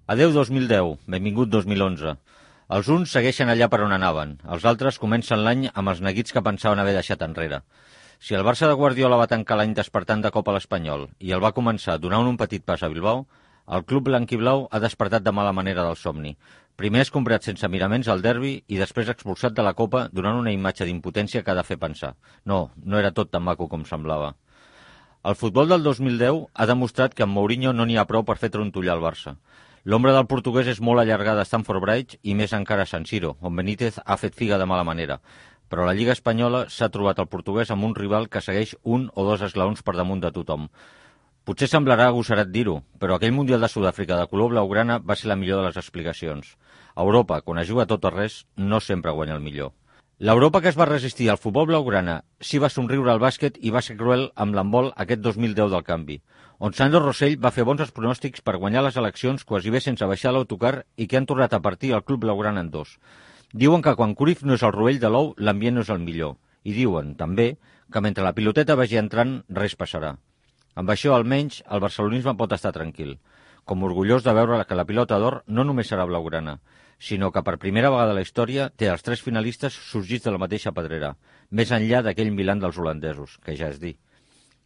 Adeu 2010, benvingut 2011. Els uns segueixen allà per on anaven, els altres comencen l'any amb els neguits que pensaven haver deixat enrere. Si el Barça de Guardiola va tancar l'any despertant de cop a l'Espanyol i el va començar donant un petit pas a Bilbao, el club blanquiblau ha despertat de mala manera del somni. Primer és comprat sense miraments al derbi i després expulsat de la Copa donant una imatge d'impotència que ha de fer pensar. No era tot tan maco com semblava. El futbol del 2010 ha demostrat que amb Mourinho no n'hi ha prou per fer trontollar el Barça. L'ombra del portuguès és molt allargada a Stamford Bridge i més encara a San Siro, on Benítez ha fet figa de mala manera. Però a la Lliga Espanyola s'ha trobat el portuguès amb un rival que segueix un o dos esglaons per damunt de tothom. Potser semblarà agosarat dir-ho, però aquell Mundial de Sud-àfrica de color blaugrana va ser la millor de les explicacions. A Europa, quan es juga tot o res, no sempre guanya el millor. L'Europa que es va resistir al futbol blaugrana sí va somriure al bàsquet i va ser cruel amb l'handbol aquest 2010 del canvi, on Sandro Rosell va fer bons pronòstics per guanyar les eleccions quasi bé sense baixar l'autocar i que han tornat a partir el club blaugrana en dos. Diuen que quan Cruyff no és el rovell de l'ou, l'ambient no és el millor. I diuen, també, que mentre la piloteta vagi entrant, res passarà. Amb això, almenys, el barcelonisme pot estar tranquil, com orgullós de veure que la pilota d'or no només serà blaugrana, sinó que per primera vegada a la història té els 3 finalistes sorgits de la mateixa pedrera, més enllà d'aquell Milan dels holandesos, que ja és dir.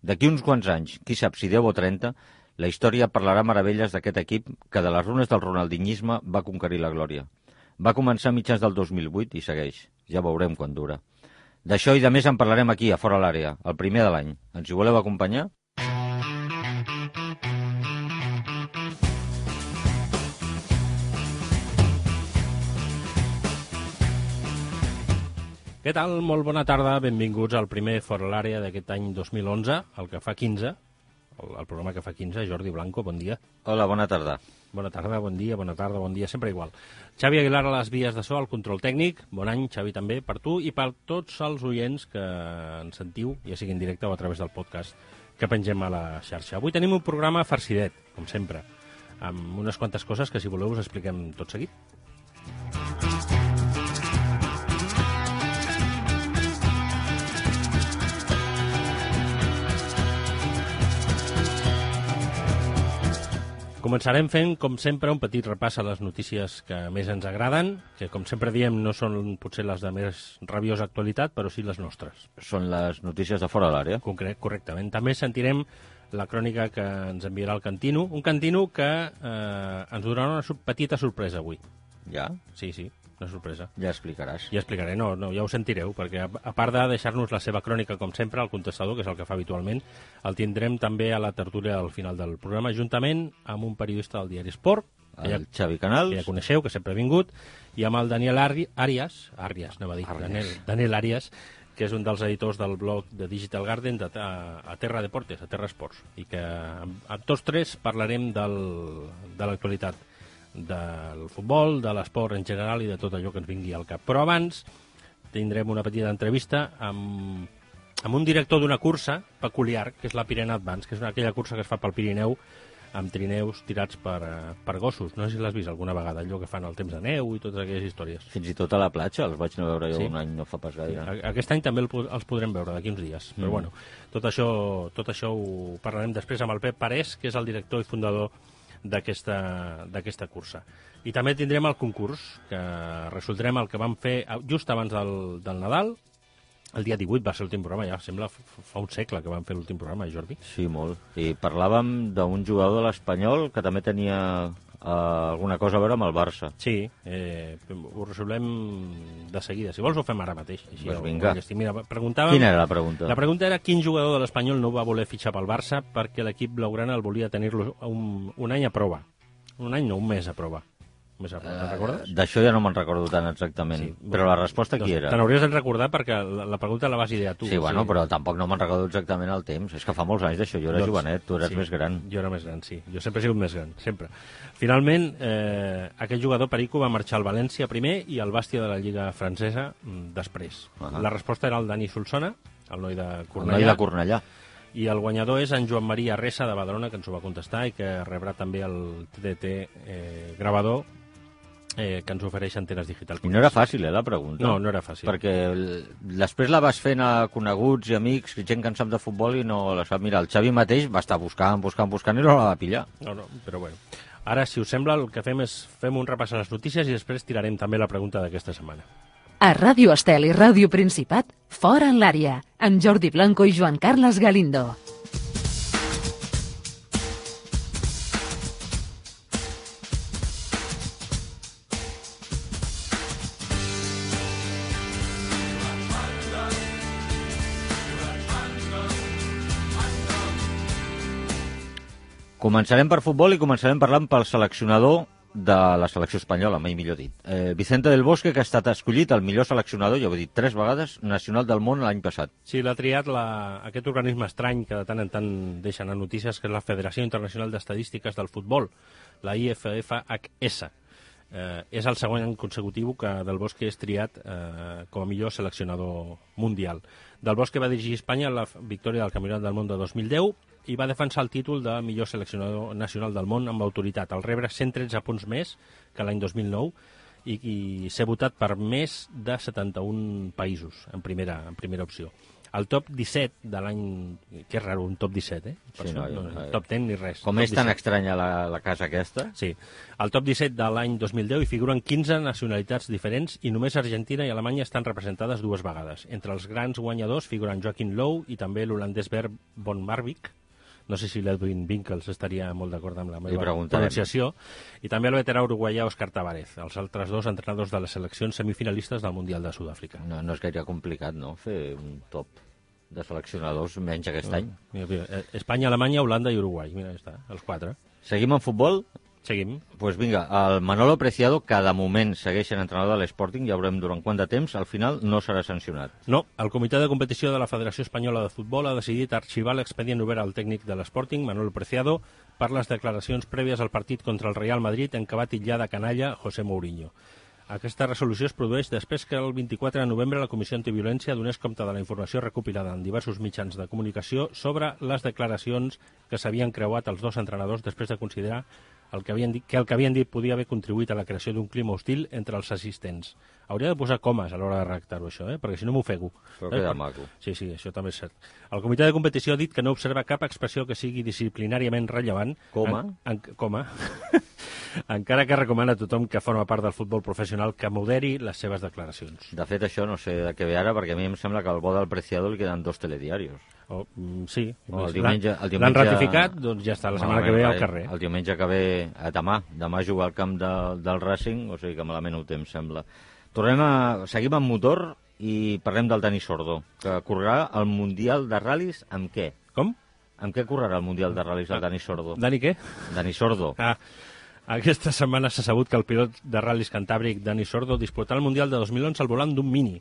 D'aquí uns quants anys, qui sap si 10 o 30, la història parlarà meravelles d'aquest equip que de les runes del ronaldinyisme va conquerir la glòria. Va començar a mitjans del 2008 i segueix. Ja veurem quan dura. D'això i de més en parlarem aquí, a Fora l'Àrea, el primer de l'any. Ens hi voleu acompanyar? Què tal? Molt bona tarda, benvinguts al primer Fora l'Àrea d'aquest any 2011, el que fa 15, el programa que fa 15. Jordi Blanco, bon dia. Hola, bona tarda. Bona tarda, bon dia, bona tarda, bon dia, sempre igual. Xavi Aguilar a les vies de so, al control tècnic. Bon any, Xavi, també, per tu i per tots els oients que ens sentiu, ja sigui en directe o a través del podcast que pengem a la xarxa. Avui tenim un programa farcidet, com sempre, amb unes quantes coses que, si voleu, us expliquem tot seguit. Començarem fent, com sempre, un petit repàs a les notícies que més ens agraden, que, com sempre diem, no són potser les de més rabiosa actualitat, però sí les nostres. Són les notícies de Fora l'Àrea. Correctament. També sentirem la crònica que ens enviarà el Cantino, un Cantino que ens donarà una petita sorpresa avui. Ja? Sí, una sorpresa. Ja explicaràs. Ja explicaré, no, ja ho sentireu, perquè a part de deixar-nos la seva crònica, com sempre, al contestador, que és el que fa habitualment, el tindrem també a la tertúlia al final del programa, juntament amb un periodista del diari Esport, el Xavi Canals, que ja coneixeu, que sempre ha vingut, i amb el Daniel Arias, Daniel Arias, que és un dels editors del blog de Digital Garden a Terra Deportes, a Terra Esports, i que amb tots tres parlarem de l'actualitat del futbol, de l'esport en general i de tot allò que ens vingui al cap. Però abans tindrem una petita entrevista amb un director d'una cursa peculiar, que és la Pyrenean Advance, que és aquella cursa que es fa pel Pirineu amb trineus tirats per gossos. No sé si l'has vist alguna vegada, allò que fan al temps de neu i totes aquelles històries. Fins i tot a la platja, els vaig anar a veure jo un any, no fa pas gaire. Aquest any també els podrem veure d'aquí uns dies. Però bueno, tot això ho parlarem després amb el Pep Parés, que és el director i fundador d'aquesta cursa. I també tindrem el concurs, que resoldrem el que vam fer just abans del Nadal. El dia 18 va ser l'últim programa, ja sembla fa un segle que vam fer l'últim programa, Jordi. Sí, molt. I parlàvem d'un jugador de l'Espanyol que també tenia alguna cosa a veure amb el Barça. Sí, ho resolem de seguida. Si vols ho fem ara mateix. Així pues vinga. Quina era la pregunta? La pregunta era quin jugador de l'Espanyol no va voler fitxar pel Barça perquè l'equip blaugrana el volia tenir-lo un any a prova. Un any no, un mes a prova. Te'n recordes? D'això ja no me'n recordo tant exactament. Sí, però la resposta qui era? Te n'hauries de recordar perquè la pregunta la vas idear tu. Sí, bueno, però tampoc no me'n recordo exactament el temps. És que fa molts anys d'això. Jo era jovenet, tu eres més gran. Jo era més gran, sí. Jo sempre he sigut més gran, sempre. Finalment, aquest jugador Perico va marxar al València primer i al Bàstia de la Lliga francesa després. La resposta era el Dani Solsona, el noi de Cornellà. El noi de Cornellà. I el guanyador és en Joan Maria Ressa de Badalona, que ens ho va contestar i que rebrà també el TDT gravador que ens ofereix Antenes Digital. I no era fàcil, la pregunta? No era fàcil. Perquè després la vas fent a coneguts i amics, gent que en sap de futbol i no la sap. Mira, el Xavi mateix va estar buscant i no la va pillar. No, però bueno. Ara, si us sembla, el que fem és fem un repàs a les notícies i després tirarem també la pregunta d'aquesta setmana. A Ràdio Estel i Ràdio Principat, Fora en l'àrea, amb Jordi Blanco i Joan Carles Galindo. Començarem per futbol i començarem parlant pel seleccionador de la selecció espanyola, mai millor dit. Vicente del Bosque, que ha estat escollit el millor seleccionador, ja ho he dit 3 vegades, nacional del món l'any passat. Sí, l'ha triat aquest organisme estrany que de tant en tant deixen a notícies, que és la Federació Internacional d'Estadístiques del Futbol, la IFFHS. És el segon any consecutiu que Del Bosque és triat com a millor seleccionador mundial. Del Bosque va dirigir Espanya a la victòria del Campionat del Món de 2010 i va defensar el títol de millor seleccionador nacional del món amb autoritat, al rebre 113 punts més que l'any 2009 i ser votat per més de 71 països en primera opció. El top 17 de l'any... Que és raro, un top 17, Per Sí, això, top 10 ni res. Com és tan estranya la casa aquesta? Sí. Al top 17 de l'any 2010 hi figuren 15 nacionalitats diferents i només Argentina i Alemanya estan representades 2 vegades. Entre els grans guanyadors figuren Joachim Löw i també l'holandès Bert von Marwijk. No sé si l'Edwin Winkels estaria molt d'acord amb la meva pronunciació. I també el veterà uruguaià Òscar Tavares, els altres 2 entrenadors de les seleccions semifinalistes del Mundial de Sud-àfrica. No és gaire complicat, no?, fer un top de seleccionadors menys aquest any. Mira, Espanya, Alemanya, Holanda i Uruguai. Mira, està, els 4. Seguim en futbol? Seguim. Pues vinga, el Manolo Preciado, que de moment segueix sent entrenador de l'Sporting, ja veurem durant quant de temps, al final no serà sancionat. No, el comitè de competició de la Federació Espanyola de Futbol ha decidit arxivar l'expedient obert al tècnic de l'Sporting, Manolo Preciado, per les declaracions prèvies al partit contra el Real Madrid en què va titllar de canalla José Mourinho. Aquesta resolució es produeix després que el 24 de novembre la Comissió Antiviolència donés compte de la informació recopilada en diversos mitjans de comunicació sobre les declaracions que s'havien creuat els 2 entrenadors després de considerar el que havien dit podia haver contribuït a la creació d'un clima hostil entre els assistents. Hauria de posar comes a l'hora de redactar-ho, això, perquè si no m'ofego. Però queda maco. Sí, això també és cert. El comitè de competició ha dit que no observa cap expressió que sigui disciplinàriament rellevant. Coma. Coma. Encara que recomana a tothom que forma part del futbol professional que moderi les seves declaracions. De fet, això no sé de què ve ara, perquè a mi em sembla que al bo del Preciado li queden 2 telediarios. Sí. El diumenge... L'han ratificat, doncs ja està, la setmana que ve al carrer. El diumenge que ve, demà jugar al camp del Racing, o sigui que malament ho té, em sembla. Seguim amb motor i parlem del Dani Sordo, que correrà el Mundial de Ral·lis amb què? Com? Amb què correrà el Mundial de Ral·lis el Dani Sordo? Dani què? Dani Sordo. Aquesta setmana s'ha sabut que el pilot de ral·lis cantàbric Dani Sordo disputarà el Mundial de 2011 al volant d'un Mini,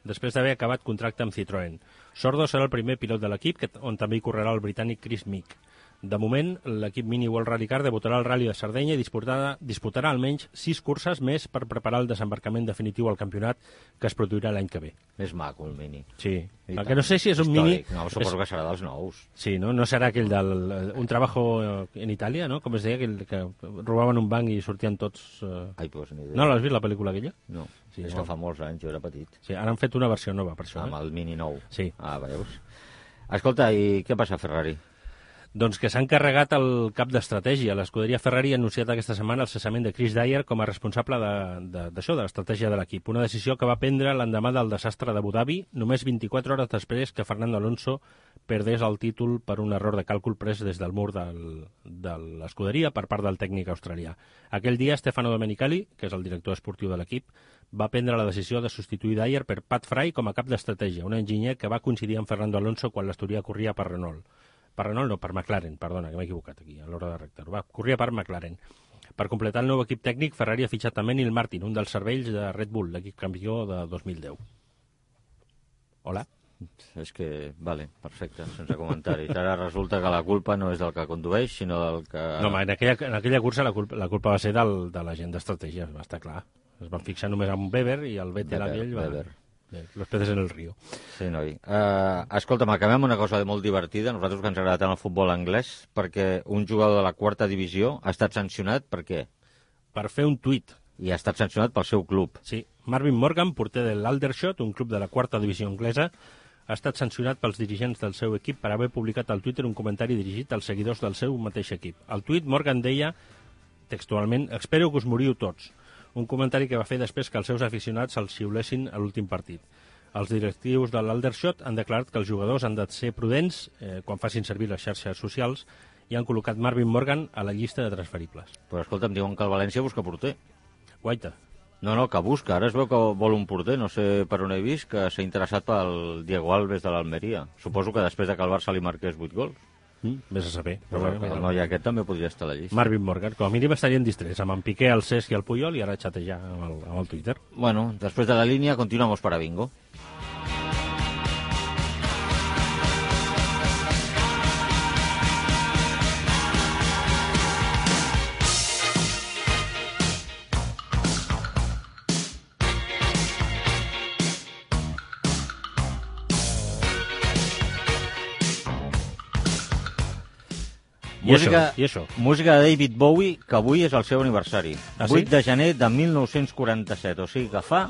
després d'haver acabat contracte amb Citroën. Sordo serà el primer pilot de l'equip, on també hi correrà el britànic Chris Meek. De moment, l'equip Mini World Rally Car debutarà al Rally de Sardenya i disputarà almenys 6 curses més per preparar el desembarcament definitiu al campionat que es produirà l'any que ve. És maco, el Mini. Sí. El que no sé si és un Mini... No, suposo que serà dels nous. Sí, no serà aquell un trabajo en Itàlia, no? Com es deia, que robaven un banc i sortien tots... Ai, pues ni idea. No l'has vist, la pel·lícula aquella? No, és que fa molts anys, jo era petit. Sí, ara han fet una versió nova, per això. Amb el Mini nou. Sí. Veus? Escolta, i què passa a Ferrari? Doncs que s'ha encarregat el cap d'estratègia. L'escuderia Ferrari ha anunciat aquesta setmana el cessament de Chris Dyer com a responsable d'això, de l'estratègia de l'equip. Una decisió que va prendre l'endemà del desastre d'Abu Dhabi, només 24 hores després que Fernando Alonso perdés el títol per un error de càlcul pres des del mur de l'escuderia per part del tècnic australià. Aquell dia, Stefano Domenicali, que és el director esportiu de l'equip, va prendre la decisió de substituir Dyer per Pat Fry com a cap d'estratègia, un enginyer que va coincidir amb Fernando Alonso quan l'Astúria corria per Renault. Per Renault no, per McLaren, perdona, que m'he equivocat aquí a l'hora de redactar-ho. Corria per McLaren. Per completar el nou equip tècnic, Ferrari ha fitxat també Neil Martin, un dels cervells de Red Bull, l'equip campió de 2010. Hola? És que, vale, perfecte, sense comentaris. Ara resulta que la culpa no és del que condueix, sinó del que... No, en aquella cursa la culpa va ser de la gent d'estratègia, va estar clar. Es van fixar només amb Weber i el Vettel aquell va... Weber. Los peces en el río. Sí, noi. Escolta'm, acabem amb una cosa molt divertida. Nosaltres que ens agrada tant el futbol anglès, perquè un jugador de la 4ª divisió ha estat sancionat per què? Per fer un tuit. I ha estat sancionat pel seu club. Sí. Marvin Morgan, porter de l'Aldershot, un club de la 4ª divisió anglesa, ha estat sancionat pels dirigents del seu equip per haver publicat al Twitter un comentari dirigit als seguidors del seu mateix equip. Al tuit, Morgan deia textualment, espero que us moriu tots. Un comentari que va fer després que els seus aficionats se'ls xiulessin a l'últim partit. Els directius de l'Aldershot han declarat que els jugadors han de ser prudents quan facin servir les xarxes socials i han col·locat Marvin Morgan a la llista de transferibles. Però escolta'm, diuen que el València busca porter. Guaita. No, que busca. Ara es veu que vol un porter, no sé per on he vist, que s'ha interessat pel Diego Alves de l'Almeria. Suposo que després de que el Barça li marqués 8 gols. Vés a saber. Però el noi aquest també podria estar a la llista. Marvin Morgan, com a mínim estarien distrets amb en Piqué, el Cesc i el Puyol i ara xatejar amb el Twitter. Bueno, després de la línia continuamos para bingo. I això? Música de David Bowie, que avui és el seu aniversari. Ah, sí? 8 de gener de 1947, o sigui que fa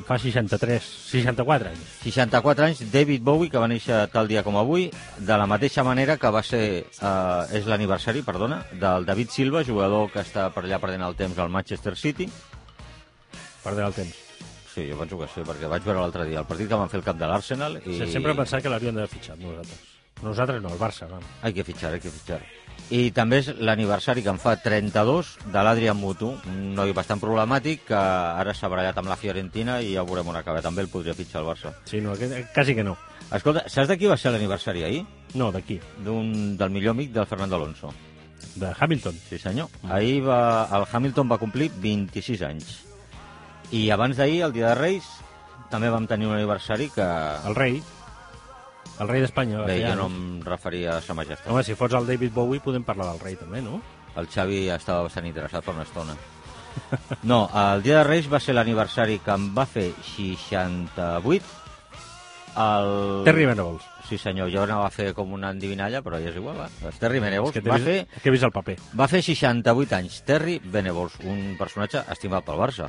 64 anys. 64 anys, David Bowie, que va néixer tal dia com avui, de la mateixa manera que va ser, és l'aniversari, perdona, del David Silva, jugador que està per allà perdent el temps al Manchester City. Perdent el temps. Sí, jo penso que sí, perquè vaig veure l'altre dia el partit que van fer el camp de l'Arsenal i... Sí, sempre he pensat que l'haurien d'haver fitxat nosaltres. Nosaltres no, el Barça. No. Hay que fichar. I també és l'aniversari que en fa 32 de l'Adrian Mutu, un noi bastant problemàtic que ara s'ha barallat amb la Fiorentina i ja veurem on acaba. També el podria fitxar el Barça. Sí, no, quasi que no. Escolta, saps de qui va ser l'aniversari ahir? No, d'aquí. Del millor amic del Fernando Alonso. De Hamilton. Sí, senyor. Ahir el Hamilton va complir 26 anys. I abans d'ahir, el dia de Reis, també vam tenir un aniversari que... El rei d'Espanya. Bé, jo no em referia a sa majestat. Home, si fots el David Bowie podem parlar del rei també, no? El Xavi estava bastant interessat per una estona. No, el dia de Reis va ser l'aniversari que em va fer 68 Terry Venables. Sí, senyor, jo anava a fer com una endivinalla, però ja és igual, va. El Terry Venables és que he vist el paper. Va fer 68 anys. Terry Venables, un personatge estimat pel Barça.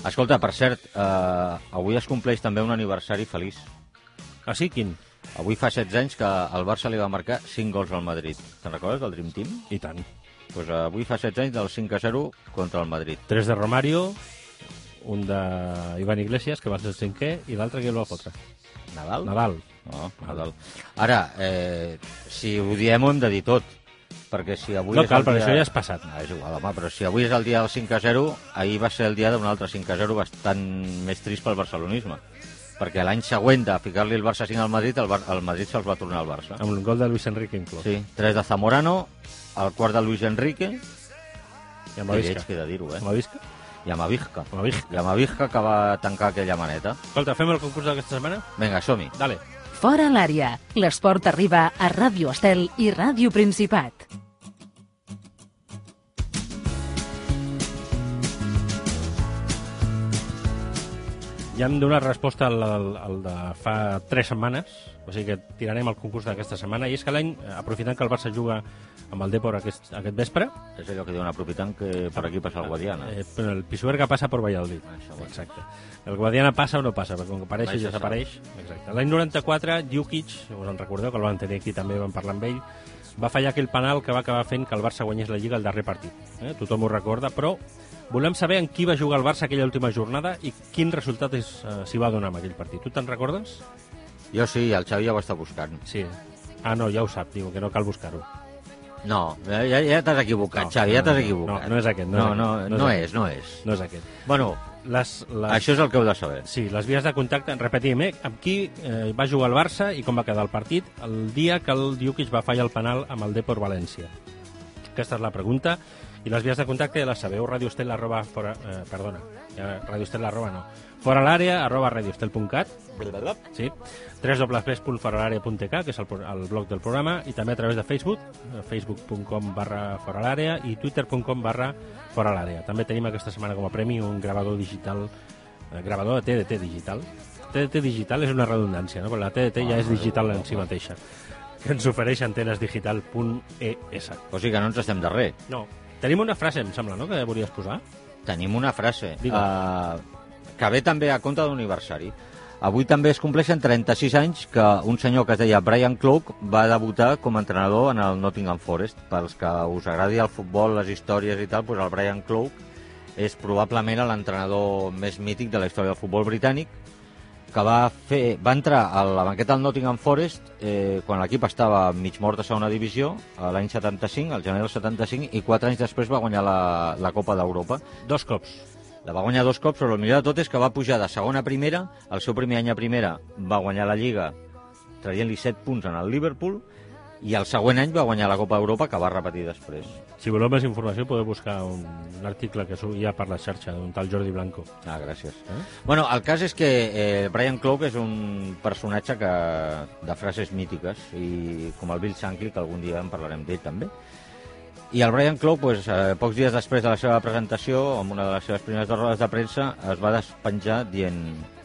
Escolta, per cert, avui es compleix també un aniversari feliç. Ah, sí? Quin? Avui fa 16 anys que el Barça li va marcar 5 gols al Madrid. Te'n recordes del Dream Team? I tant. Pues avui fa 16 anys del 5-0 contra el Madrid. 3 de Romario, un d'Ivan Iglesias, que va ser el 5è, i l'altre que el va fotre. Nadal? No, Nadal. Ara, si ho diem ho hem de dir tot. Perquè si avui no cal, però això ja és passat. No, és igual, home, però si avui és el dia del 5-0, ahir va ser el dia d'un altre 5-0 bastant més trist pel barcelonisme. Perquè l'any següent de ficar-li el Barça 5 al Madrid, el Madrid se'ls va tornar al Barça. Amb un gol de Luis Enrique inclòs. Sí, 3 de Zamorano, el quart de Luis Enrique, i amb la Visca. Queda dir-ho, Amb la Visca? I amb la Visca que va tancar aquella maneta. Escolta, fem el concurs d'aquesta setmana? Vinga, som-hi. Dale. Fora l'àrea. L'esport arriba a Ràdio Estel i Ràdio Principat. Ja hem donat resposta al de fa 3 setmanes, o sigui que tirarem el concurs d'aquesta setmana, i és que l'any, aprofitant que el Barça juga amb el Depor aquest vespre... És allò que diuen, aprofitant que per aquí passa el Guadiana. El Pisuerga passa per Valladolid. Exacte. El Guadiana passa o no passa, perquè com que apareix i desapareix... Exacte. L'any 94, Djukic, us en recordeu, que el van tenir aquí, també vam parlar amb ell, va fallar aquell penal que va acabar fent que el Barça guanyés la Lliga el darrer partit. Tothom ho recorda, però volem saber en qui va jugar el Barça aquella última jornada i quin resultat s'hi va donar en aquell partit. Tu te'n recordes? Jo sí, el Xavi ja ho està buscant. Sí. Ah, no, ja ho sap, diu que no cal buscar-ho. No, ja t'has equivocat, Xavi, ja t'has equivocat. No és aquest. No és. No és aquest. Bueno, això és el que heu de saber. Sí, les vies de contacte, repetim, amb qui va jugar el Barça i com va quedar el partit el dia que el Djukic va fallar el penal amb el Depor València. Aquesta és la pregunta. I les vies de contacte ja les sabeu, foralàrea@radioestel.cat, sí, www.foralàrea.k, que és el blog del programa, i també a través de Facebook, facebook.com/foralàrea i twitter.com/foralàrea. També tenim aquesta setmana com a premi un gravador digital, gravador de TDT digital. TDT digital és una redundància, no? Però la TDT ja és digital en si mateixa, que ens ofereix antenesdigital.es. O sigui que no ens estem de res. No. Tenim una frase, em sembla, no?, que volies posar. Tenim una frase que ve també a compte d'un aniversari. Avui també es compleixen 36 anys que un senyor que es deia Brian Clough va debutar com a entrenador en el Nottingham Forest. Pels que us agradi el futbol, les històries i tal, doncs el Brian Clough és probablement l'entrenador més mític de la història del futbol britànic, que va entrar a la banqueta del Nottingham Forest quan l'equip estava mig mort a segona divisió, l'any 75, al gener del 75, i 4 anys després va guanyar la Copa d'Europa. 2 cops. La va guanyar 2 cops, però el millor de tot és que va pujar de segona a primera. El seu primer any a primera va guanyar la Lliga traient-li 7 punts en el Liverpool, i el següent any va guanyar la Copa d'Europa, que va repetir després. Si voleu més informació podeu buscar un article que hi ha per la xarxa d'un tal Jordi Blanco. Gràcies. Bueno, el cas és que Brian Clough és un personatge de frases mítiques, i com el Bill Shankly, que algun dia en parlarem d'ell també. I el Brian Clough, pocs dies després de la seva presentació, en una de les seves primeres rodes de premsa, es va despenjar dient: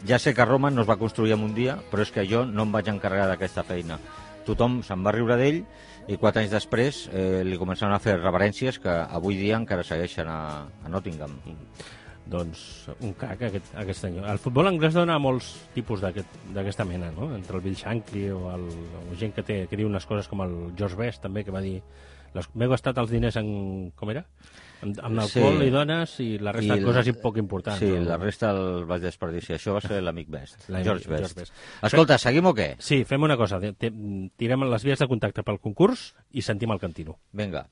ja sé que Roma no es va construir en un dia, però és que jo no em vaig encarregar d'aquesta feina. Tothom se'n va riure d'ell, i 4 anys després li començaven a fer reverències que avui dia encara segueixen a Nottingham. Doncs un crac, aquest senyor. El futbol anglès dona molts tipus d'aquesta mena, no? Entre el Bill Shankly o gent que diu unes coses com el George Best, també, que va dir: m'he gastat els diners en... com era? Amb alcohol i dones, i la resta de coses poc importants. Sí, la resta el vaig desperdiciar. Això va ser l'amic Best, George Best. Escolta, seguim o què? Sí, fem una cosa. Tirem les vies de contacte pel concurs i sentim el cantino. Vinga.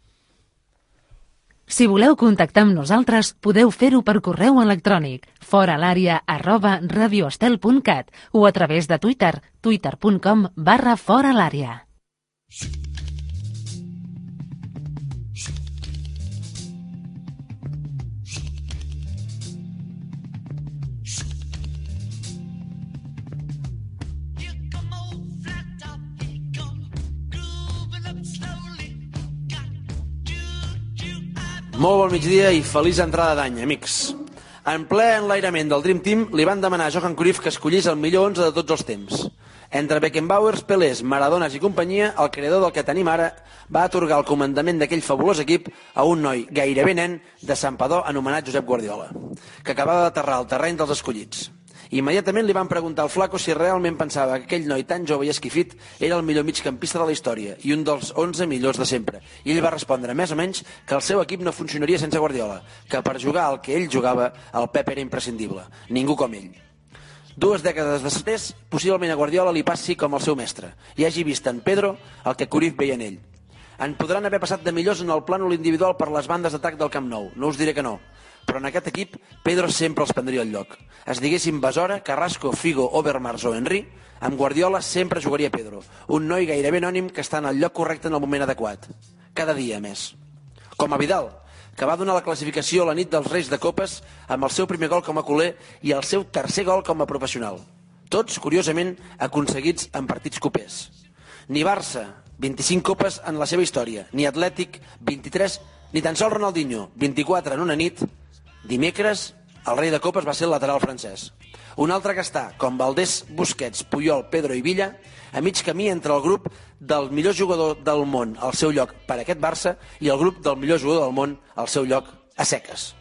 Si voleu contactar amb nosaltres, podeu fer-ho per correu electrònic foralaria@radioestel.cat o a través de Twitter, twitter.com/foralaria. Molt bon migdia i feliç entrada d'any, amics. En ple enlairament del Dream Team li van demanar a Johan Cruyff que escollís el millor 11 de tots els temps. Entre Beckenbauers, Pelés, Maradones i companyia, el creador del que tenim ara va atorgar el comandament d'aquell fabulós equip a un noi gairebé nen de Santpedor anomenat Josep Guardiola, que acabava d'aterrar al terreny dels escollits. Immediatament li van preguntar al flaco si realment pensava que aquell noi tan jove i esquifit era el millor migcampista de la història i un dels 11 millors de sempre. I ell va respondre, més o menys, que el seu equip no funcionaria sense Guardiola, que per jugar al que ell jugava, el Pep era imprescindible. Ningú com ell. 2 dècades després, possiblement a Guardiola li passi com el seu mestre, i hagi vist en Pedro el que Cruyff veia en ell. En podran haver passat de millors en el plànol individual per les bandes d'atac del Camp Nou, no us diré que no, però en aquest equip Pedro sempre els prendria el lloc. Es diguessin Besora, Carrasco, Figo, Overmars o Henry, amb Guardiola sempre jugaria Pedro, un noi gairebé anònim que està en el lloc correcte en el moment adequat. Cada dia, més. Com a Vidal, que va donar la classificació a la nit dels Reis de Copes amb el seu primer gol com a culer i el seu tercer gol com a professional. Tots, curiosament, aconseguits en partits copers. Ni Barça, 25 copes en la seva història, ni Atlètic, 23, ni tan sols Ronaldinho, 24 en una nit. Dimecres, el rei de copes va ser el lateral francès. Un altre que està, com Valdés, Busquets, Puyol, Pedro i Villa, a mig camí entre el grup del millor jugador del món al seu lloc per aquest Barça i el grup del millor jugador del món al seu lloc a seques.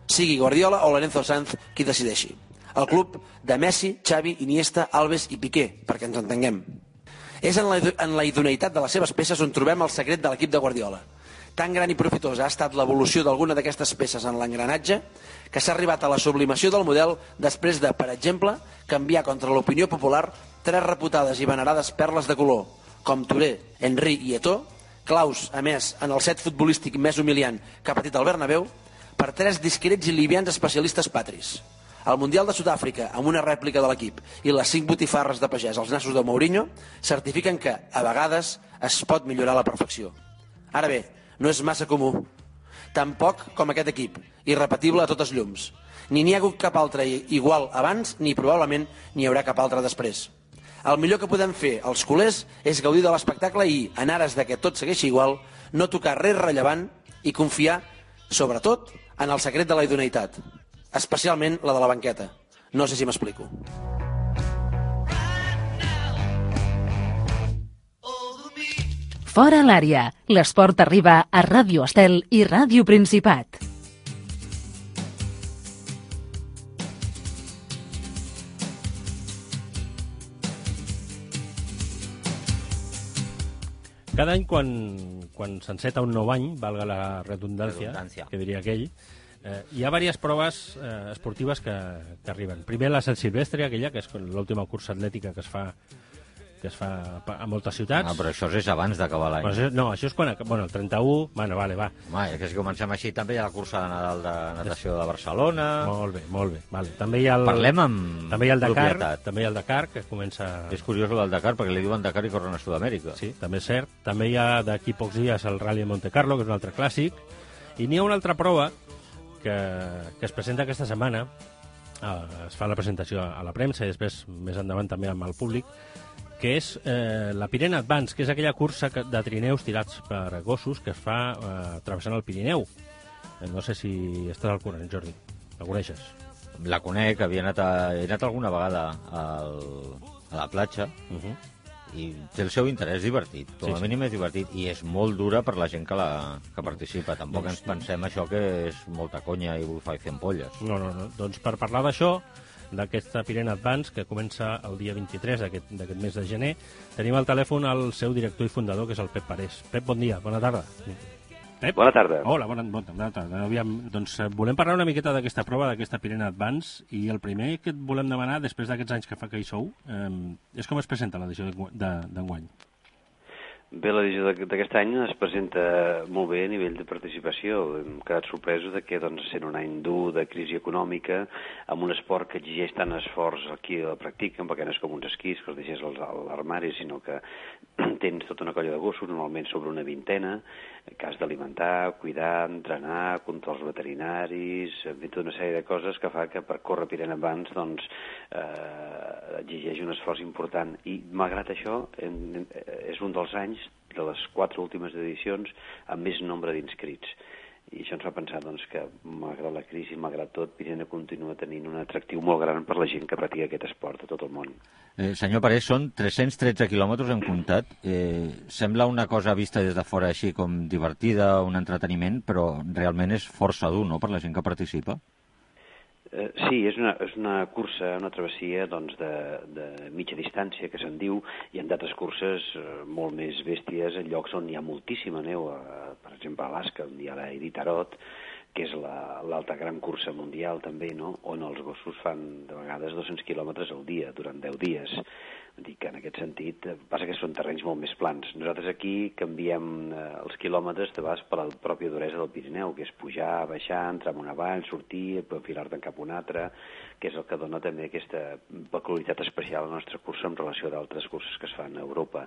Sigui Guardiola o Lorenzo Sanz qui decideixi. El club de Messi, Xavi, Iniesta, Alves i Piqué, perquè ens entenguem. És en la idoneïtat de les seves peces on trobem el secret de l'equip de Guardiola. Tan gran i profitosa ha estat l'evolució d'alguna d'aquestes peces en l'engranatge que s'ha arribat a la sublimació del model després de, per exemple, canviar contra l'opinió popular 3 reputades i venerades perles de color, com Touré, Henry i Eto'o, claus, a més, en el set futbolístic més humiliant que ha patit el Bernabéu, per 3 discrets i livians especialistes patris. El Mundial de Sud-àfrica, amb una rèplica de l'equip, i les 5 botifarres de pagès als nassos de Mourinho, certifiquen que, a vegades, es pot millorar a la perfecció. Ara bé, no és massa comú. Tampoc com aquest equip, irrepetible a totes llums. Ni n'hi ha hagut cap altre igual abans, ni probablement n'hi haurà cap altre després. El millor que podem fer els culers és gaudir de l'espectacle i, en ares de que tot segueixi igual, no tocar res rellevant i confiar, sobretot, en el secret de la idoneïtat, especialment la de la banqueta. No sé si m'explico. Fora l'àrea. L'esport arriba a Ràdio Estel i Ràdio Principat. Cada any, quan s'enceta un nou any, valga la redundància, que diria aquell, hi ha diverses proves esportives que arriben. Primer la Sant Silvestre, aquella, que és l'última cursa atlètica que es fa a moltes ciutats. Ah, però això és abans d'acabar l'any. No, això és quan... Bueno, el 31... Bueno, vale, va. Home, que si comencem així, també hi ha la cursa de Nadal de natació de Barcelona. Molt bé. Vale. També hi ha el... Parlem amb també hi ha el Dakar, propietat. també hi ha el Dakar, que comença... És curiós el del Dakar, perquè li diuen Dakar i corren a Sud-amèrica. Sí, també és cert. També hi ha d'aquí pocs dies el Rally de Monte Carlo, que és un altre clàssic. I n'hi ha una altra prova que es presenta aquesta setmana. Es fa la presentació a la premsa i després, més endavant, també amb el públic, que és la Pirene Advance, que és aquella cursa de trineus tirats per gossos que es fa travessant el Pirineu. No sé si estàs al corrent, Jordi. La coneixes? La conec, he anat alguna vegada a la platja i té el seu interès divertit. Com a mínim és divertit i és molt dura per la gent que participa. Tampoc ens pensem això que és molta conya i bufa i fer ampolles. No. Doncs per parlar d'això, d'aquesta Pirene Advance, que comença el dia 23 d'aquest mes de gener, tenim al telèfon el seu director i fundador, que és el Pep Parés. Pep, bon dia, bona tarda. Pep? Bona tarda. Hola, bona tarda. Aviam, doncs volem parlar una miqueta d'aquesta prova, d'aquesta Pirene Advance, i el primer que et volem demanar, després d'aquests anys que fa que hi sou, és com es presenta l'edició d'enguany. Bé, l'edició d'aquest any es presenta molt bé a nivell de participació. Hem quedat sorpresos de que, sent un any dur de crisi econòmica, amb un esport que exigeix tant esforç aquí a la practiquen, perquè no és com uns esquís que els deixes a l'armari, sinó que tens tota una colla de gossos, normalment sobre una vintena, que has d'alimentar, cuidar, entrenar, controls veterinaris, tota una sèrie de coses que fa que per córrer Pirene Advance exigeix un esforç important. I malgrat això, és un dels anys de les 4 últimes edicions amb més nombre d'inscrits. I això ens fa pensar que, malgrat la crisi, malgrat tot, Pirene continua tenint un atractiu molt gran per la gent que practica aquest esport a tot el món. Senyor Parés, són 313 quilòmetres en comptat. Sembla una cosa vista des de fora així com divertida, un entreteniment, però realment és força dur, no?, per la gent que participa. Sí, és una cursa, una travessia de mitja distància, que se'n diu, i en d'altres curses molt més bèsties, en llocs on hi ha moltíssima neu, per exemple a Alaska, on hi ha l'Iditarod, que és l'altra gran cursa mundial també, no?, on els gossos fan de vegades 200 quilòmetres al dia, durant 10 dies. Dic que en aquest sentit passa que són terrenys molt més plans. Nosaltres aquí canviem els quilòmetres de vegades per la pròpia duresa del Pirineu, que és pujar, baixar, entrar en una vall, sortir, enfilar-te'n cap a una altra, que és el que dona també aquesta peculiaritat especial a la nostra cursa en relació a d'altres curses que es fan a Europa.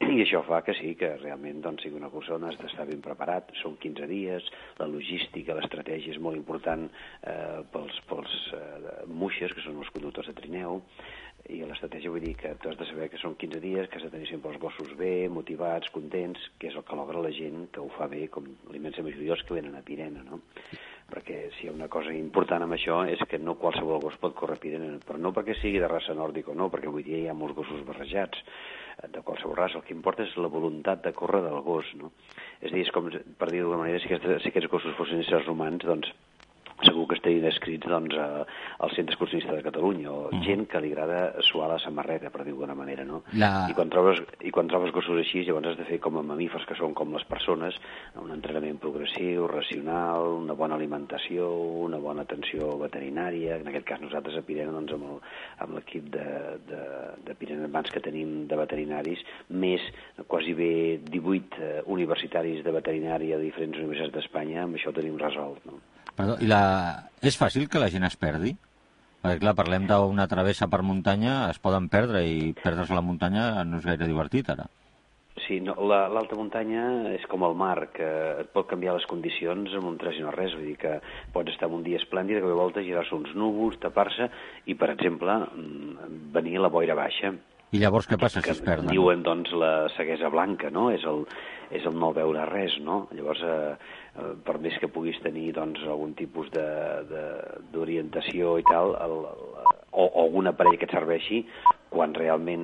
I això fa que sí, que realment sigui una cursa on has d'estar ben preparat. Són 15 dies, la logística, l'estratègia és molt important pels muixes, que són els conductors de trineu, i l'estratègia vull dir que tu has de saber que són 15 dies, que has de tenir sempre els gossos bé, motivats, contents, que és el que logra la gent que ho fa bé, com l'immensa majoria dels que venen a Pirene, no? Perquè si hi ha una cosa important amb això és que no qualsevol gos pot córrer Pirene, però no perquè sigui de raça nòrdica o no, perquè avui dia hi ha molts gossos barrejats de qualsevol raça. El que importa és la voluntat de córrer del gos, no? És a dir, és com, per dir d'alguna manera, si aquests gossos fossin éssers humans, doncs segur que estarien escrits al Centre Excursionista de Catalunya, o gent que li agrada suar la samarreta, per dir-ho d'una manera, no? I quan trobes gossos així, llavors has de fer com a mamífers, que són com les persones, un entrenament progressiu, racional, una bona alimentació, una bona atenció veterinària. En aquest cas nosaltres a Pirene, amb l'equip de Pirene Advance que tenim de veterinaris, més quasi bé 18 universitaris de veterinària de diferents universitats d'Espanya, amb això ho tenim resolt, no? Perdó, és fàcil que la gent es perdi? Perquè, clar, parlem d'una travessa per muntanya, es poden perdre, i perdre's a la muntanya no és gaire divertit, ara. Sí, no, l'alta muntanya és com el mar, que et pot canviar les condicions amb un tres i no res. Vull dir que pots estar en un dia esplèndid, que de volta girar-se uns núvols, tapar-se, i, per exemple, venir a la boira baixa. I llavors què passa si es perden? Diuen, la ceguesa blanca, no? És el no veure res, no? Llavors, per més que puguis tenir algun tipus d'orientació i tal, o algun aparell que et serveixi, quan realment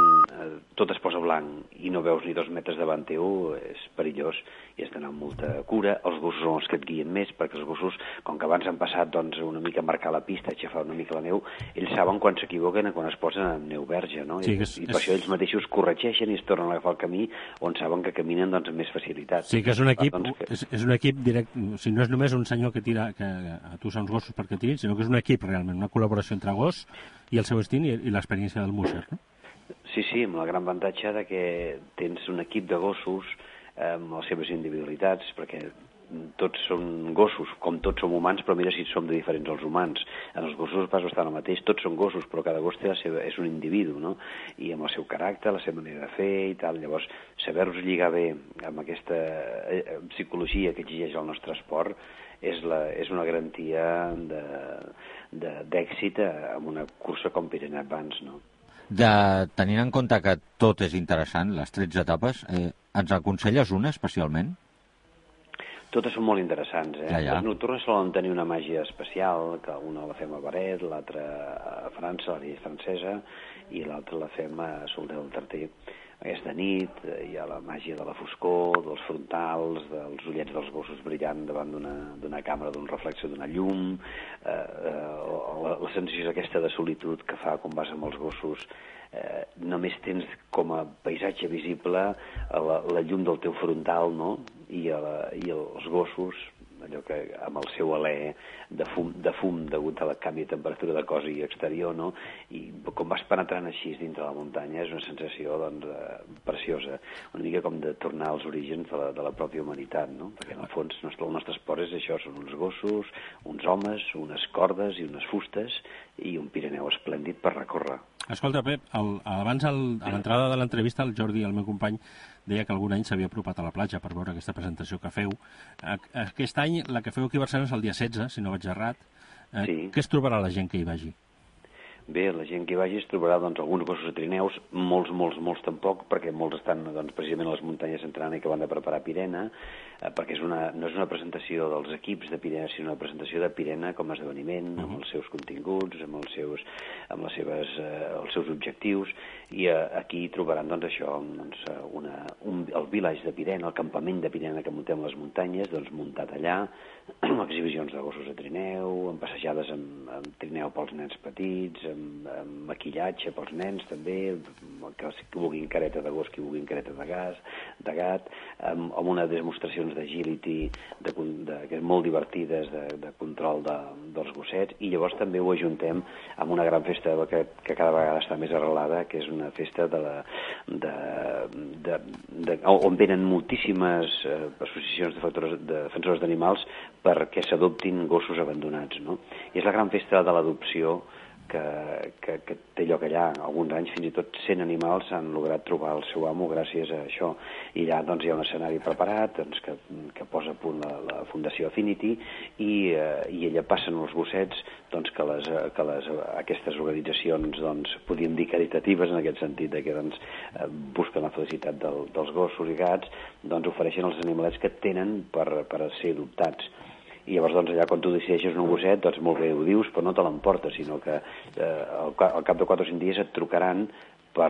tot es posa blanc i no veus ni 2 metres davant teu, és perillós i has d'anar amb molta cura. Els gossos són els que et guien més, perquè els gossos, com que abans han passat doncs, una mica a marcar la pista, a aixafar una mica la neu, ells saben quan s'equivoquen i quan es posen en neu verge, no? Sí, I per això ells mateixos corregeixen i es tornen a agafar el camí on saben que caminen doncs, amb més facilitat. Sí, que és un equip, és un equip directe, o sigui, no és només un senyor que tira, que atussa uns gossos perquè tirin, sinó que és un equip realment, una col·laboració entre gos i el seu instint i l'experiència del musher, no? Sí, amb el gran avantatge de que tens un equip de gossos amb les seves individualitats, perquè tots són gossos, com tots som humans, però mira si som de diferents els humans. En els gossos pas bastant el mateix, tots són gossos, però cada gos té és un individu, no? I amb el seu caràcter, la seva manera de fer i tal. Llavors, saber-los lligar bé amb aquesta psicologia que exigeix el nostre esport és una garantia d'èxit en una cursa com Pyrenees Advance, no? Tenint en compte que tot és interessant, les 13 etapes, ens aconselles una especialment? Totes són molt interessants, eh? Ja. Les nocturnes solen tenir una màgia especial, que una la fem a Baret, l'altra a França, la llei francesa, i l'altra la fem a Solter del Tarter. Aquesta nit hi ha la màgia de la foscor, dels frontals, dels ullets dels gossos brillant davant d'una càmera, d'un reflex d'una llum, la sensació aquesta de solitud que fa quan vas amb els gossos. Només tens com a paisatge visible la llum del teu frontal, no? I els gossos, allò que amb el seu alè de fum degut a la canvi de temperatura de cos i exterior, no? I com vas penetrant així dintre la muntanya és una sensació doncs, preciosa, una mica com de tornar als orígens de la pròpia humanitat, no? Perquè en el fons el nostre esport és això, són uns gossos, uns homes, unes cordes i unes fustes i un Pirineu esplèndid per recórrer. Escolta, Pep, abans a l'entrada de l'entrevista el Jordi, el meu company, deia que algun any s'havia apropat a la platja per veure aquesta presentació que feu. Aquest any, la que feu aquí a Barcelona és el dia 16, si no vaig errat. Sí. Què es trobarà la gent que hi vagi? Bé, la gent que hi vagi es trobarà doncs, alguns gossos a trineus, molts tampoc, perquè molts estan doncs, precisament a les muntanyes entrant i que van de preparar Pirena, perquè no és una presentació dels equips de Pirena, sinó una presentació de Pirena com a esdeveniment, amb els seus continguts, amb els seus objectius, i aquí trobaran doncs, això, doncs, el village de Pirena, el campament de Pirena que muntem a les muntanyes, doncs, muntat allà, amb exhibicions de gossos a trineu, amb passejades amb trineu pels nens petits, amb maquillatge pels nens també, que vulguin careta de gos, que vulguin careta de gat, amb unes demostracions d'agility que és molt divertides de control dels gossets, i llavors també ho ajuntem amb una gran festa que cada vegada està més arrelada, que és una festa on venen moltíssimes associacions de defensors d'animals perquè s'adoptin gossos abandonats, no? I és la gran festa de l'adopció que té lloc allà. Alguns anys fins i tot 100 animals han lograt trobar el seu amo gràcies a això. I allà doncs, hi ha un escenari preparat doncs, que posa a punt la Fundació Affinity i allà passen els gossets doncs, que aquestes organitzacions doncs, podríem dir caritatives en aquest sentit de que doncs, busquen la felicitat dels gossos i gats, doncs ofereixen els animalets que tenen per ser adoptats. I llavors doncs, allà quan tu decideixes un gosset, doncs molt bé ho dius, però no te l'emportes, sinó que al cap de 4 o 5 dies et trucaran per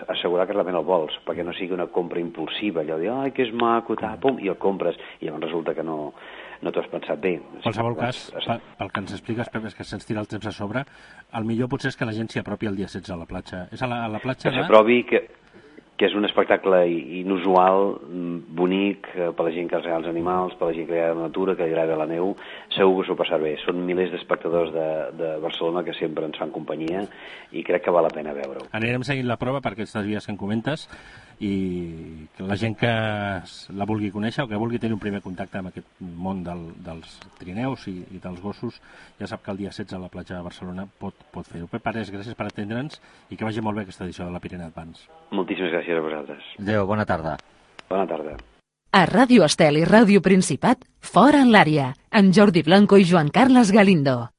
assegurar que realment el vols, perquè no sigui una compra impulsiva, allò de, ai, que és maco, pum, i el compres, i llavors resulta que no t'ho has pensat bé. En qualsevol cas, pel que ens expliques, Pep, és que se'ns tira el temps a sobre, el millor potser és que la gent s'hi apropi el dia 16 a la platja. És a la platja que s'apropi, que és un espectacle inusual, bonic, per la gent que agrada els animals, per la gent que agrada la natura, que agrada la neu, segur que s'ho passarà bé. Són milers d'espectadors de Barcelona que sempre ens fan companyia i crec que val la pena veure-ho. Anirem seguint la prova per aquestes vies que em comentes i que la gent que la vulgui conèixer o que vulgui tenir un primer contacte amb aquest món dels trineus i dels gossos, ja sap que el dia 16 a la platja de Barcelona pot fer-ho. Pep Parés, gràcies per atendre'ns i que vagi molt bé aquesta edició de la Pyrenees Advance. Moltíssimes gràcies a vosaltres. Adéu, bona tarda. Bona tarda. A Ràdio Estel i Ràdio Principat, Fora en l'àrea, amb Jordi Blanco i Joan Carles Galindo.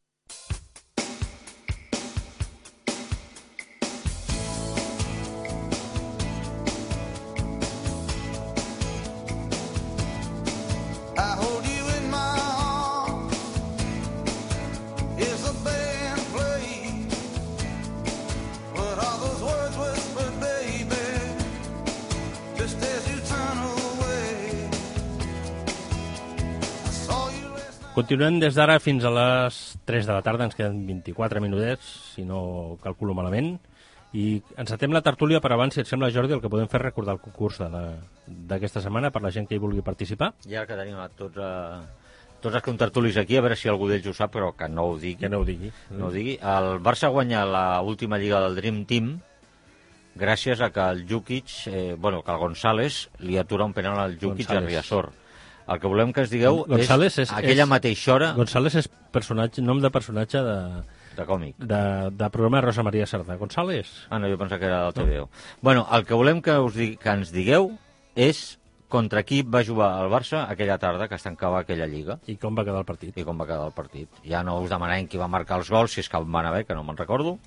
Is a band played, but all those Continuem des d'ara fins a les 3 de la tarda, ens queden 24 minutets, si no calculo malament, i encetem la tertúlia, per abans, si et sembla, Jordi, el que podem fer és recordar el concurs d'aquesta setmana per la gent que hi vulgui participar. I ara que tenim a tots els contertulis aquí, a veure si algú d'ells ho sap, però que no ho digui. Que no ho digui. No ho digui. El Barça guanya l'última lliga del Dream Team gràcies a que el Jukic, que el González li atura un penal al Jukic a Riazor. El que volem que ens digueu González és aquella mateixa hora... González és nom de personatge de còmic. De programa de Rosa Maria Sardà. González? Ah, no, jo pensava que era del TVO. Bueno, el que volem que ens digueu és contra qui va jugar el Barça aquella tarda que es tancava aquella lliga. I com va quedar el partit. Ja no us demanarem qui va marcar els gols, si és que van haver, que no me'n recordo,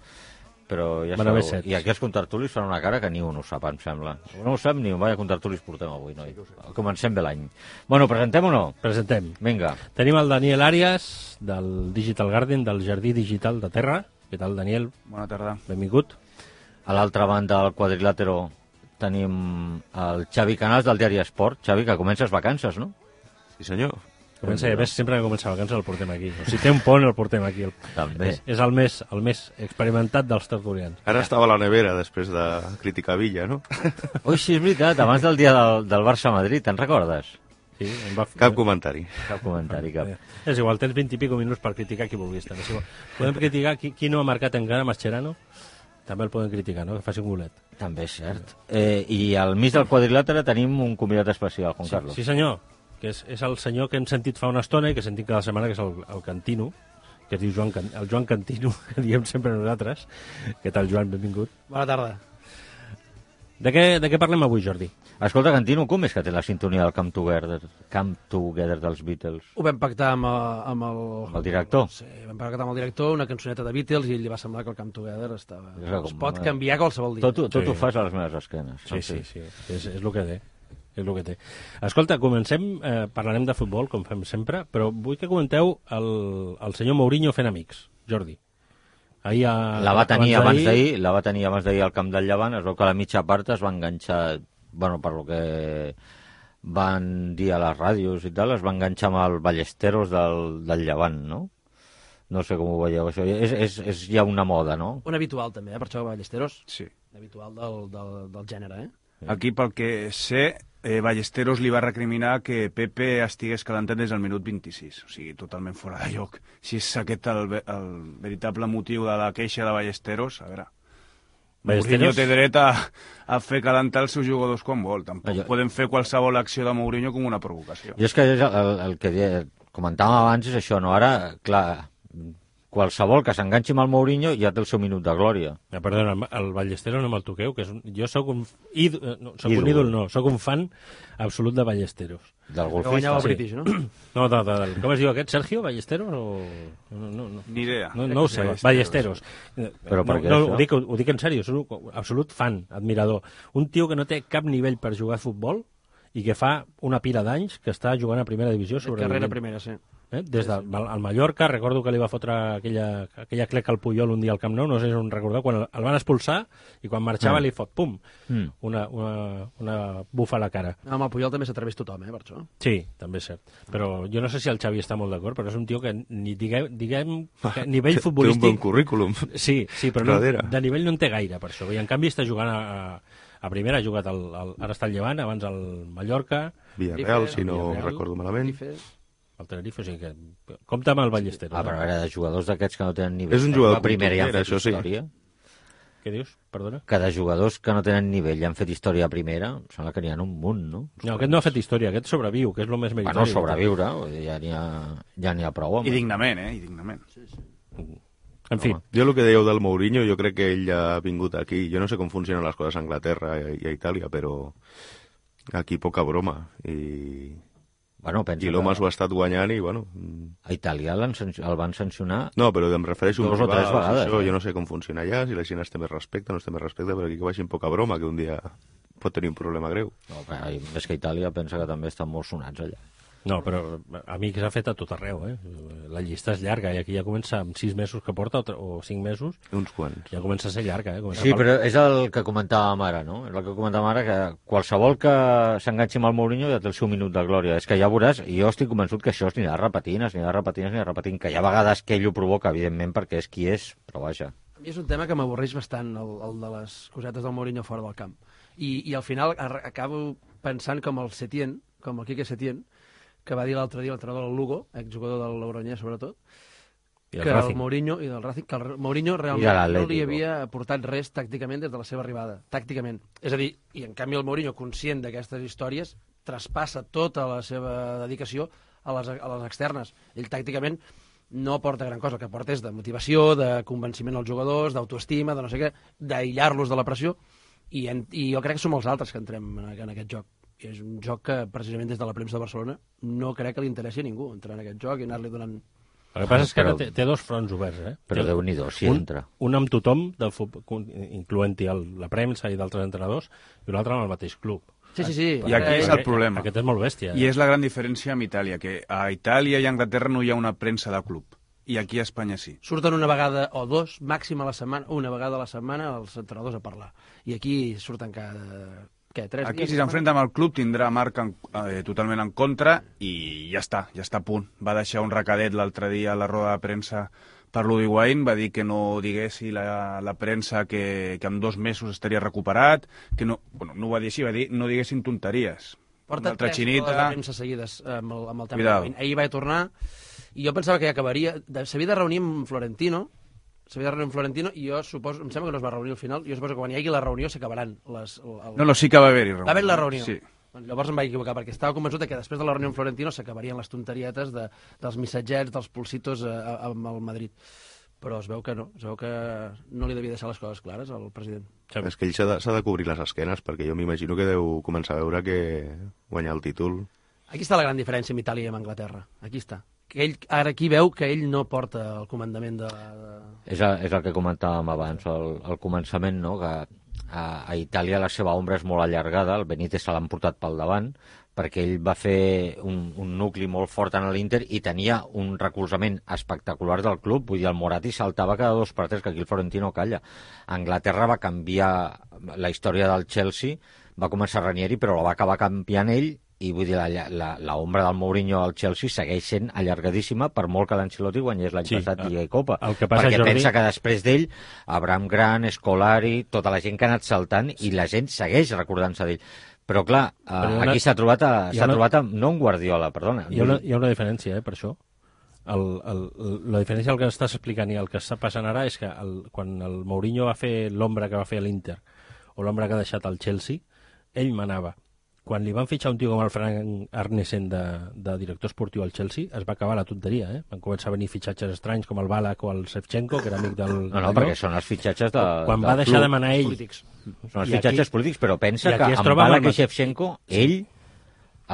però ja sabeu. I aquí els contertulis fan una cara que ni un ho sap, em sembla. No ho sap ni un, vaya contertulis portem avui, noi. Comencem bé l'any. Bueno, presentem o no? Presentem. Vinga. Tenim el Daniel Arias, del Digital Garden, del Jardí Digital de Terra. Què tal, Daniel? Bona tarda. Benvingut. A l'altra banda del quadrilàtero tenim el Xavi Canals del Diari Esport. Xavi, que comences vacances, no? Sí, senyor. Sempre que comença vacances el portem aquí. O si té un pont el portem aquí. També. És el més experimentat dels tertulians. Ara estava a la nevera després de criticar Villa, no? Ui, sí, és veritat, abans del dia del Barça-Madrid, te'n recordes? Sí, Cap comentari. Cap. És igual, tens 20 i pico minuts per criticar qui vulguis. Podem criticar qui no ha marcat encara, Mascherano. També el podem criticar, no? Que faci un golet. També és cert. I al mig del quadrilàtere tenim un convidat especial, Juan Carlos. Sí, senyor, que és el senyor que hem sentit fa una estona i que sentim cada setmana, que és el Cantino, que es diu el Joan Cantino, que diem sempre nosaltres. Què tal, Joan? Benvingut. Bona tarda. De què parlem avui, Jordi? Escolta, Cantino, com és que té la sintonia del Come Together dels Beatles? Ho vam pactar amb el director? Sí, vam pactar amb el director una cançoneta de Beatles i ell li va semblar que el Come Together estava... Es pot canviar canviar qualsevol dia. Tot ho fas a les meves esquenes. Sí. És el que té. És el que té. Escolta, comencem, parlarem de futbol, com fem sempre, però vull que comenteu el senyor Mourinho fent amics, Jordi. La va tenir abans d'ahir al camp del Llevant. Es veu que a la mitja part es va enganxar, per lo que van dir a les ràdios i tal, es va enganxar amb el Ballesteros del Llevant, no? No sé com ho veieu, això. És ja una moda, no? Un habitual, també, per això Ballesteros. Sí. Habitual del gènere, Aquí, pel que sé, Ballesteros li va recriminar que Pepe estigués calentant des del minut 26, o sigui, totalment fora de lloc. Si és aquest el veritable motiu de la queixa de Ballesteros, a veure... Mourinho té dret a fer calentar els seus jugadors quan vol. Tampoc podem fer qualsevol acció de Mourinho com una provocació. I és que el que comentàvem abans és això, no? Ara, clar, qualsevol que s'enganxi amb el Mourinho ja té el seu minut de glòria. Perdona, el Ballesteros no me'l toqueu, que jo sóc un ídol, sóc un fan absolut de Ballesteros. Del golfista? Que guanyava el British, no? No, com es diu aquest? Sergio Ballesteros? No. Ni idea. No ho sé, Ballesteros. Però per què això? Ho dic en sèrio, soc un absolut fan, admirador. Un tio que no té cap nivell per jugar a futbol i que fa una pila d'anys que està jugant a primera divisió sobre... Carrera primera, sí. Des del Mallorca, recordo que li va fotre aquella cleca al Puyol un dia al Camp Nou, no sé si on recordeu, quan el van expulsar i quan marxava li fot, pum, una bufa a la cara. Amb el Puyol també s'atreveix tothom, per això. Sí, també és cert. Però jo no sé si el Xavi està molt d'acord, però és un tio que diguem que nivell futbolístic... Té un bon currículum. Sí, però de nivell no en té gaire, per això. I en canvi està jugant a primera, ha jugat ara està al Llevant, abans al Mallorca... Villarreal, si no recordo malament. El Tenerife, o sigui que... Compte amb el Ballesteros. Però a veure, de jugadors d'aquests que no tenen nivell... És un jugador primera i han fet això sí. Història. Què dius? Perdona? Que de jugadors que no tenen nivell i han fet història a primera, sembla que n'hi ha un munt, no? No, aquest no ha fet història, aquest sobreviu, que és el més meritori. Bueno, sobreviure, ja n'hi ha prou. I dignament, I dignament. Sí. En fi. Jo el que dèieu del Mourinho, jo crec que ell ja ha vingut aquí. Jo no sé com funcionen les coses a Anglaterra i a Itàlia, però aquí poca broma. I l'home s'ho ha estat guanyant i, bueno... A Itàlia el van sancionar... No, però em refereixo... 2 o 3 vegades. Això, jo no sé com funciona allà, si la gent es té més respecte, no es té més respecte, però aquí que vagin poca broma, que un dia pot tenir un problema greu. No, és que Itàlia pensa que també estan molt sonats allà. No, però amics ha fet a tot arreu, La llista és llarga, i aquí ja comença amb 6 mesos que porta, o 5 mesos. Uns quants. Ja comença a ser llarga, Sí, però és el que comentàvem ara, no? És el que comentàvem ara, que qualsevol que s'enganxi amb el Mourinho ja té el seu minut de glòria. És que ja veuràs, i jo estic convençut que això s'anirà repetint, que hi ha vegades que ell ho provoca, evidentment, perquè és qui és, però vaja. A mi és un tema que m'avorreix bastant, el de les cosetes del Mourinho fora del camp. I al final acabo pensant com el Setién, com el Quique Setién, que va dir l'altre dia l'entrenador del Lugo, exjugador del Logroñés sobretot, que el Mourinho i del Racing, que el Mourinho realment no li havia aportat res tàcticament des de la seva arribada, tàcticament. És a dir, i en canvi el Mourinho, conscient d'aquestes històries, traspassa tota la seva dedicació a les externes. Ell tàcticament no aporta gran cosa, el que aporta és de motivació, de convenciment als jugadors, d'autoestima, de no sé què, d'aïllar-los de la pressió, i jo crec que som els altres que entrem en aquest joc. I és un joc que, precisament des de la premsa de Barcelona, no crec que li interessi a ningú entrar en aquest joc i anar-li donant... El que passa és que té dos fronts oberts, Però Déu-n'hi-do, si entra. Un amb tothom, del futbol, incloent-hi la premsa i d'altres entrenadors, i un altre amb el mateix club. Sí. I aquí és el problema. Aquest és molt bèstia. I és la gran diferència amb Itàlia, que a Itàlia i a Anglaterra no hi ha una premsa de club. I aquí a Espanya sí. Surten una vegada o dos, màxim a la setmana, una vegada a la setmana, els entrenadors a parlar. I aquí surten cada... Què, 3 dies? Aquí, si s'enfrenta amb el club, tindrà Marc totalment en contra i ja està a punt. Va deixar un recadet l'altre dia a la roda de premsa per l'Uruguain, va dir que no diguessi la premsa que en 2 mesos estaria recuperat, que no, no ho va dir així, va dir no diguessin tonteries. Porta 3 rodes de premsa seguides amb el tema d'Uruguain. Ahir va tornar i jo pensava que ja acabaria. S'havia de reunir amb Florentino, i jo suposo, em sembla que no es va reunir al final, jo suposo que quan hi hagi la reunió s'acabaran No, sí que va haver-hi reunió. Va haver la reunió. Sí. Llavors em vaig equivocar, perquè estava convençut que després de la reunió amb Florentino s'acabarien les tonterietes dels missatgets, dels pulsitos amb el Madrid. Però es veu que no li devia deixar les coses clares al president. És que ell s'ha de cobrir les esquenes, perquè jo m'imagino que deu començar a veure que guanyar el títol... Aquí està la gran diferència amb Itàlia i amb Anglaterra. Aquí està. Que ell, ara aquí veu que ell no porta el comandament de... És el que comentàvem abans, al començament, no? Que a Itàlia la seva ombra és molt allargada, el Benítez se l'han portat pel davant, perquè ell va fer un nucli molt fort en l'Inter i tenia un recolzament espectacular del club. Vull dir, el Moratti saltava cada 2 per 3, que aquí el Florentino calla. Anglaterra va canviar la història del Chelsea, va començar Ranieri, però la va acabar canviant ell, i vull dir, l'ombra del Mourinho al Chelsea segueix sent allargadíssima, per molt que l'Ancelotti guanyés l'any passat Lliga i Copa. Perquè Jordi... pensa que després d'ell, Abraham Grant, Scolari, tota la gent que ha anat saltant, i la gent segueix recordant-se d'ell. Però clar, aquí s'ha trobat no un Guardiola, perdona. Hi ha una diferència, per això. La diferència del que estàs explicant i el que està passant ara és que quan el Mourinho va fer l'ombra que va fer a l'Inter, o l'ombra que ha deixat al Chelsea, ell manava. Quan li van fitxar un tio com el Frank Arnesen de director esportiu al Chelsea, es va acabar la tonteria, Van començar a venir fitxatges estranys com el Ballack o el Shevchenko, que era amic del... No, perquè són els fitxatges Quan va deixar de manar ell... Polítics. Són els fitxatges polítics, però pensa que amb Ballack i Shevchenko, ell,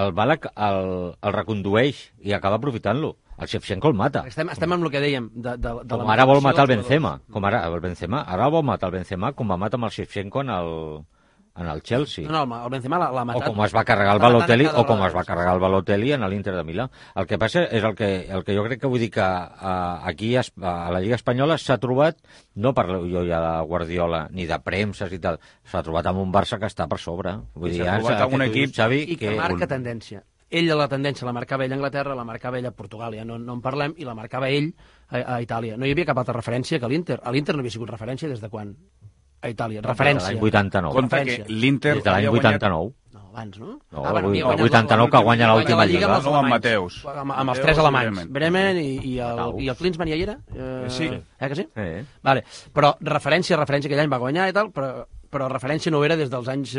el Ballack el recondueix i acaba aprofitant-lo. El Shevchenko el mata. Estem amb el que dèiem. Com ara vol matar el Benzema. Ara vol matar el Benzema com va matar amb el Shevchenko en el Chelsea. No, el Benzema l'ha matat. O com es va carregar el Balotelli, en l'Inter de Milà. El que passa és el que jo crec que vull dir que aquí a la Lliga Espanyola s'ha trobat, no parlo jo ja de Guardiola ni de premses i tal, s'ha trobat amb un Barça que està per sobre. Vull dir, s'ha trobat amb un equip, Xavi, i que marca tendència. Ell la tendència la marcava ell a Anglaterra, la marcava ell a Portugal, ja no en parlem, i la marcava ell a Itàlia. No hi havia cap altra referència que l'Inter. A l'Inter no havia sigut referència des de quan? A Itàlia, referència. L'any 89. Compte que l'Inter... Des de l'any 89. No, abans, no? No, el 89 que guanya l'última Lliga. No, amb Mateus. Amb els 3 alemanys. Bremen i el Klinsmann ja hi era? Sí. Que sí? Sí. Vale. Però referència, aquell any va guanyar i tal, però referència no era des dels anys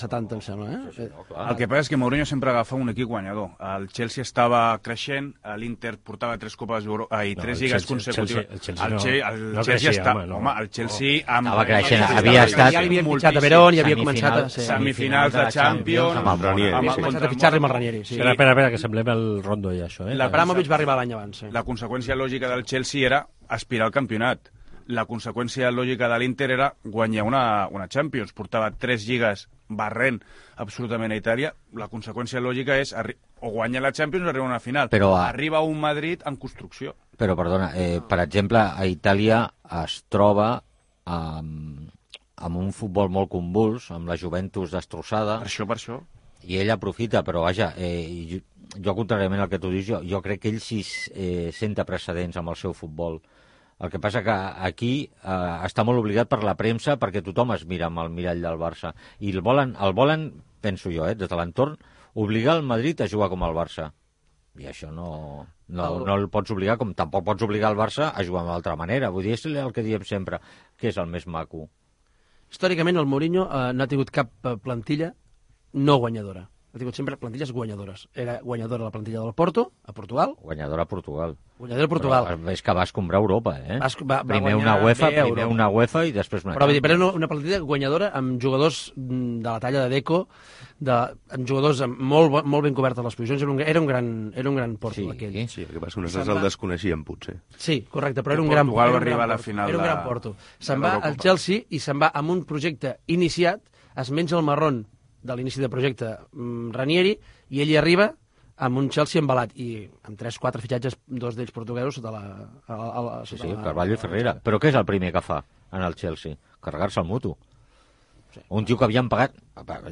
70, em sembla. El que passa és que Mourinho sempre agafa un equip guanyador. El Chelsea estava creixent, l'Inter portava 3 copes i 3 lligues consecutives. El Chelsea estava... Home, el Chelsea... Estava creixent, havia estat... Ja l'havia fitxat a Verón i havia començat a ser... Semifinals de Champions... Amb el Ranieri. Havia començat a fitxar-li amb el Ranieri, sí. Espera, que semblem el Rondo ja, això. L'Abramovich va arribar l'any abans. La conseqüència lògica del Chelsea era aspirar al campionat. La conseqüència lògica de l'Inter era guanyar una Champions. Portava 3 lligues barrent absolutament a Itàlia, la conseqüència lògica és o guanya la Champions o arriba a una final. Però arriba un Madrid en construcció. Però, perdona, per exemple, a Itàlia es troba amb un futbol molt convuls, amb la Juventus destrossada. Per això. I ell aprofita, però vaja, jo contràriament al que tu dius, jo crec que ell sí senta precedents amb el seu futbol. El que passa que aquí està molt obligat per la premsa perquè tothom es mira amb el mirall del Barça. I el volen, penso jo, des de l'entorn, obligar el Madrid a jugar com el Barça. I això no el pots obligar, com tampoc pots obligar el Barça a jugar d'altra manera. Vull dir, és el que diem sempre, que és el més maco. Històricament, el Mourinho no ha tingut cap plantilla no guanyadora. Ha tingut sempre plantilles guanyadores. Era guanyadora la plantilla del Porto, a Portugal. Guanyadora a Portugal. Però és que va escombrar Europa, Va primer una UEFA i després una Champions. Però era una plantilla guanyadora amb jugadors de la talla de Deco, amb jugadors molt ben cobertes les posicions. Era un gran Porto, aquell. Sí, el que passa que nosaltres el desconeixíem, potser. Sí, correcte, però era un gran Porto. Portugal va arribar a la final Era un gran Porto. Se'n va al Chelsea i se'n va amb un projecte iniciat, es menja el marrón de l'inici de projecte Ranieri, i ell hi arriba amb un Chelsea embalat, i amb 3-4 fitxatges, 2 d'ells portuguesos, sota la... Sí, Carvalho i Ferreira. Però què és el primer que fa en el Chelsea? Carregar-se el Mutu. Sí. Un tio que havien pagat...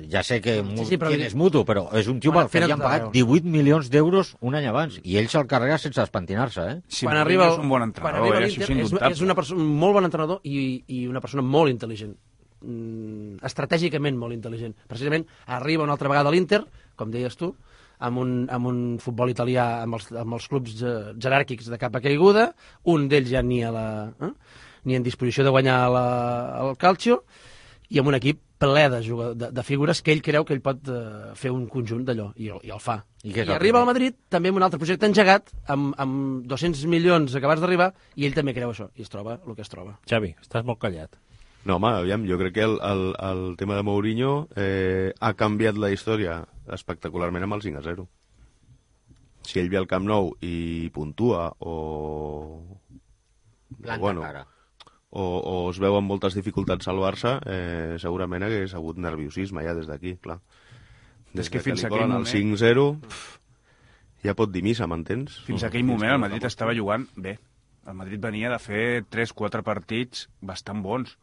Ja sé que quin és Mutu, però és un tio que havien pagat 18 milions d'euros un any abans, i ell se'l carrega sense espentinar-se, Sí, quan arriba és un bon entrenador, és un molt bon entrenador i una persona molt intel·ligent. Estratègicament molt intel·ligent. Precisament arriba una altra vegada a l'Inter, com deies tu, amb un futbol italià amb els clubs jeràrquics de capa caiguda, un d'ells ja ni en disposició de guanyar el Calcio, i amb un equip ple de figures que ell creu que ell pot fer un conjunt d'allò, i el fa. I arriba al Madrid també amb un altre projecte engegat, amb 200 milions acabats d'arribar, i ell també creu això, i es troba el que es troba. Xavi, estàs molt callat. No, home, aviam, jo crec que el tema de Mourinho ha canviat la història espectacularment amb el 5-0. Si ell ve al Camp Nou i puntua o es veu amb moltes dificultats al Barça, segurament hagués hagut nerviosisme ja des d'aquí, clar. Des que fins aquell moment... El 5-0 ja pot dir missa, m'entens? Fins aquell moment el Madrid estava jugant bé. El Madrid venia de fer 3-4 partits bastant bons.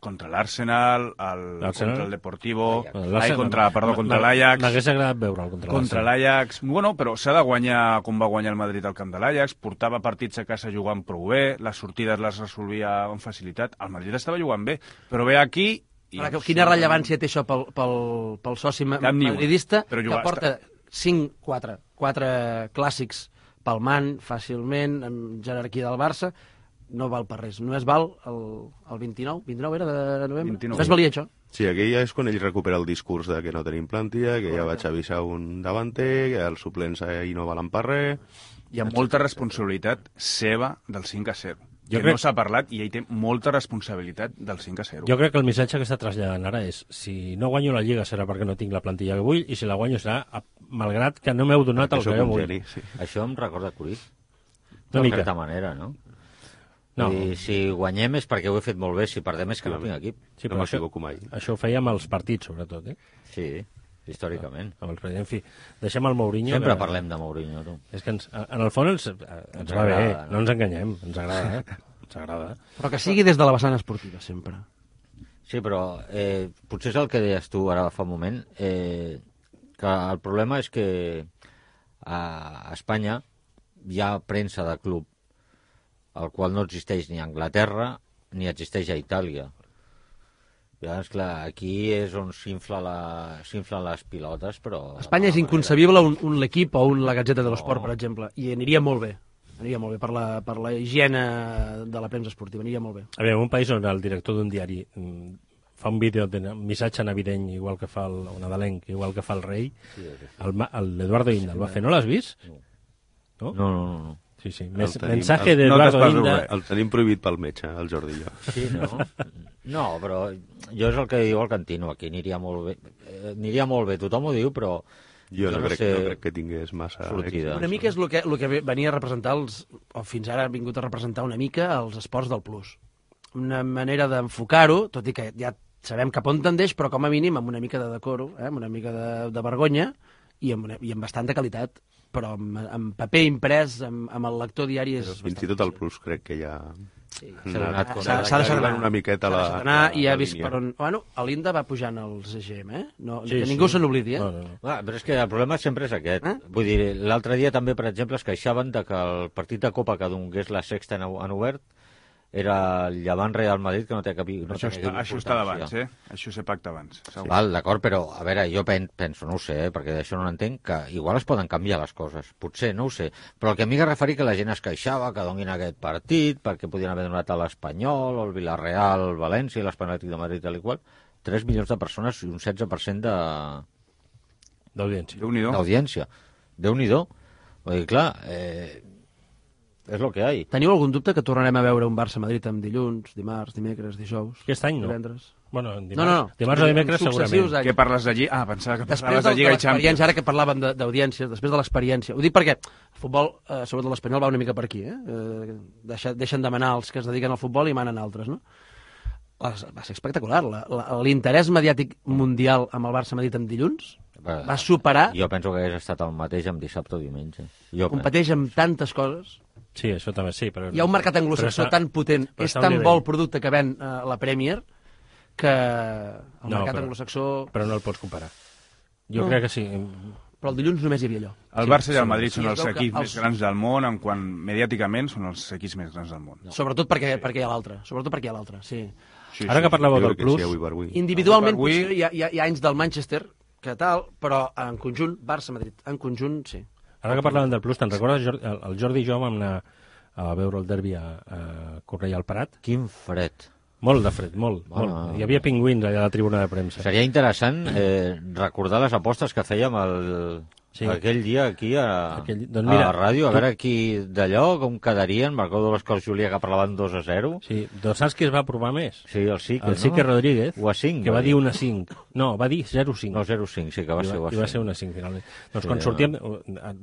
Contra l'Arsenal, contra el Deportivo, contra l'Ajax. M'hagués agradat veure'l contra l'Ajax. Bueno, però s'ha de guanyar com va guanyar el Madrid al camp de l'Ajax, portava partits a casa jugant prou bé, les sortides les resolvia amb facilitat. El Madrid estava jugant bé, però ve aquí... Quina rellevància té això pel soci madridista, que porta 4 clàssics palmant fàcilment, amb jerarquia del Barça... No val per res. Només val el 29 era de novembre? Només valia això. Sí, aquí ja és quan ell recupera el discurs de que no tenim plantilla, que ja vaig avisar un davanter, que els suplents ahir no valen per res... Hi ha molta responsabilitat seva del 5-0. No s'ha parlat i ell té molta responsabilitat del 5-0. Jo crec que el missatge que està traslladant ara és si no guanyo la Lliga serà perquè no tinc la plantilla que vull, i si la guanyo serà malgrat que no m'heu donat el que jo vull. Sí. Això em recorda Cruyff. Una mica. De certa manera, no? No. I si guanyem és perquè ho he fet molt bé, si perdem és que no tinc equip. Sí, però això ho feia amb els partits, sobretot, Sí, històricament. En fi, deixem el Mourinho... Sempre parlem de Mourinho, tu. És que en el fons ens va bé, no ens enganyem, ens agrada, ens agrada. Però que sigui des de la vessant esportiva, sempre. Sí, però potser és el que deies tu ara fa un moment, que el problema és que a Espanya hi ha premsa de club, el qual no existeix ni a Anglaterra ni existeix a Itàlia. Llavors, clar, aquí és on s'inflen les pilotes, però... A Espanya és inconcebible un l'equip o la Gazzetta dello Sport, per exemple, i aniria molt bé. Aniria molt bé per la higiene de la premsa esportiva, aniria molt bé. A veure, un país on el director d'un diari fa un vídeo de missatge navideñ, igual que fa el nadalenc, igual que fa el rei, l'Eduardo Inda el va fer. No l'has vist? No. No. Sí. Mensaje d'Eduardo Inda. El tenim prohibit pel metge, el Jordi i jo. Sí, no? No, però jo és el que diu el Cantino, aquí aniria molt bé. Aniria molt bé, tothom ho diu, però... Jo no crec que tingués massa sortida. Una mica és el que venia a representar, o fins ara ha vingut a representar una mica els esports del plus. Una manera d'enfocar-ho, tot i que hi ha sabem cap on tendeix, però com a mínim amb una mica de decoro, amb una mica de vergonya i amb bastanta qualitat, però amb paper imprès, amb el lector diari és... Fins i tot el Plus crec que ja... Sí. S'ha d'anar una miqueta i ha vist per on... Bueno, l'Inda va pujant als EGM, que ningú se n'oblidi, Però és que el problema sempre és aquest. Vull dir, l'altre dia també, per exemple, es queixaven de que el partit de Copa que donés la sexta en obert era el Llevant Real Madrid, que no té cap importància. Això està d'abans, Això s'ha pactat abans. Val, d'acord, però, a veure, jo penso, no ho sé, perquè d'això no n'entenc, que igual es poden canviar les coses. Potser, no ho sé. Però el que a mi que referir que la gent es queixava que donin aquest partit, perquè podien haver donat a l'Espanyol, o el Villarreal, el València, l'Espanyol de Madrid, tal i qual. 3 milions de persones i un 16% d'audiència. D'audiència. Déu-n'hi-do. Vull dir, clar, és el que hi ha. Teniu algun dubte que tornarem a veure un Barça-Madrid amb dilluns, dimarts, dimecres, dijous? Aquest any no. Divendres? Bueno, dimarts o dimecres segurament. Què parles d'allí? Pensava que parlaves de Lliga i Champions. Ara que parlàvem d'audiències, després de l'experiència. Ho dic perquè el futbol, sobretot l'Espanyol, va una mica per aquí. Deixen de manar els que es dediquen al futbol i manen altres, no? Va ser espectacular. L'interès mediàtic mundial amb el Barça-Madrid en dilluns va superar... Jo penso que hagués estat el mateix amb dissabte o diumenge. Competeix amb tantes coses. Sí, això també sí. Però... Hi ha un mercat anglosaxó tan potent, és tan bo el producte que ven la Premier, que el mercat anglosaxó... Però no el pots comparar. Jo crec que sí. Però el dilluns només hi havia allò. El Barça i el Madrid són els equips més grans del món, en quant mediàticament són els equips més grans del món. Sobretot perquè hi ha l'altre, sí. Ara que parlàveu del Plus... Individualment potser hi ha anys del Manchester, que tal, però en conjunt, Barça-Madrid, en conjunt, sí. Ara que parlàvem del Plus, te'n recordes? El Jordi i jo vam anar a veure el derbi a Cornellà al Prat. Quin fred. Molt de fred, molt. Hi havia pingüins allà a la tribuna de premsa. Seria interessant recordar les apostes que fèiem aquell dia aquí a la ràdio, a veure aquí d'allò, com quedarien. Me'n recordo les coses, Júlia, que parlaven 2-0. Sí, saps qui es va provar més? Sí, el Sique, el Sique Rodríguez, o a 5, que va dir 1-5. No, va dir 0-5. No, 0-5, sí, que va ser 1-5. I va ser 1-5, finalment. Doncs quan sortíem,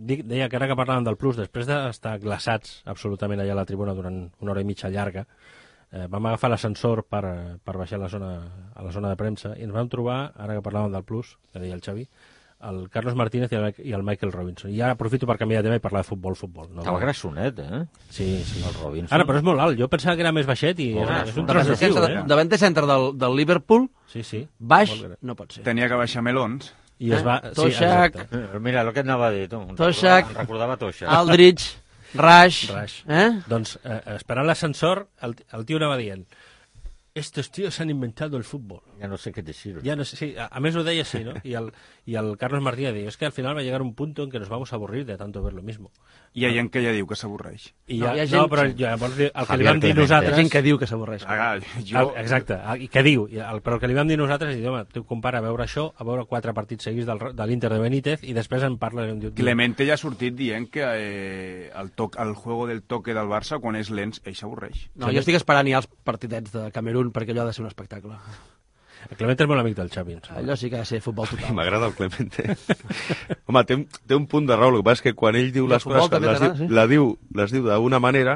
deia que ara que parlàvem del Plus, després d'estar glaçats absolutament allà a la tribuna durant una hora i mitja llarga, vam agafar l'ascensor per baixar a la zona de premsa i ens vam trobar, ara que parlàvem del Plus, que deia el Xavi, el Carlos Martínez i el Michael Robinson. I ara aprofito per canviar de tema i parlar de futbol. No? Estava grassonet, Sí. El Robinson. Ara, però és molt alt. Jo pensava que era més baixet i és un tros de tiu, Davanter centre del Liverpool, sí. Baix, no pot ser. Tenia que baixar melons. I es va... Toshak... Mira, el que anava a dir, tu. Toshak... Recordava Toshak. Aldrich... Rash. Doncs, esperant l'ascensor, el tio anava dient: estos tíos han inventado el fútbol. Ya no sé qué decir. Ya no sé, sí, a més ho deia així, ¿no? Y el Carlos Martínez diu, es que al final va a llegar un punto en que nos vamos a aburrir de tanto ver lo mismo. I hi ha gent que ja diu que s'avorreix. Però llavors el que li vam dir nosaltres... Hi ha gent que diu que s'avorreix. Exacte, i que diu, però el que li vam dir nosaltres és dir, home, tu compara veure això a veure 4 partits seguits de l'Inter de Benítez i després en parles... Clemente ja ha sortit dient que el juego del toque del Barça, quan és lents, ell s'avorreix. No, jo estic esperant ja els partidets de Camerún perquè allò ha de ser un espectacle. El Clemente és molt amic del Xavi. Allò sí que ha de ser futbol total. M'agrada el Clemente. Home, té un punt de raó. El que passa és que quan ell diu les coses, les diu d'una manera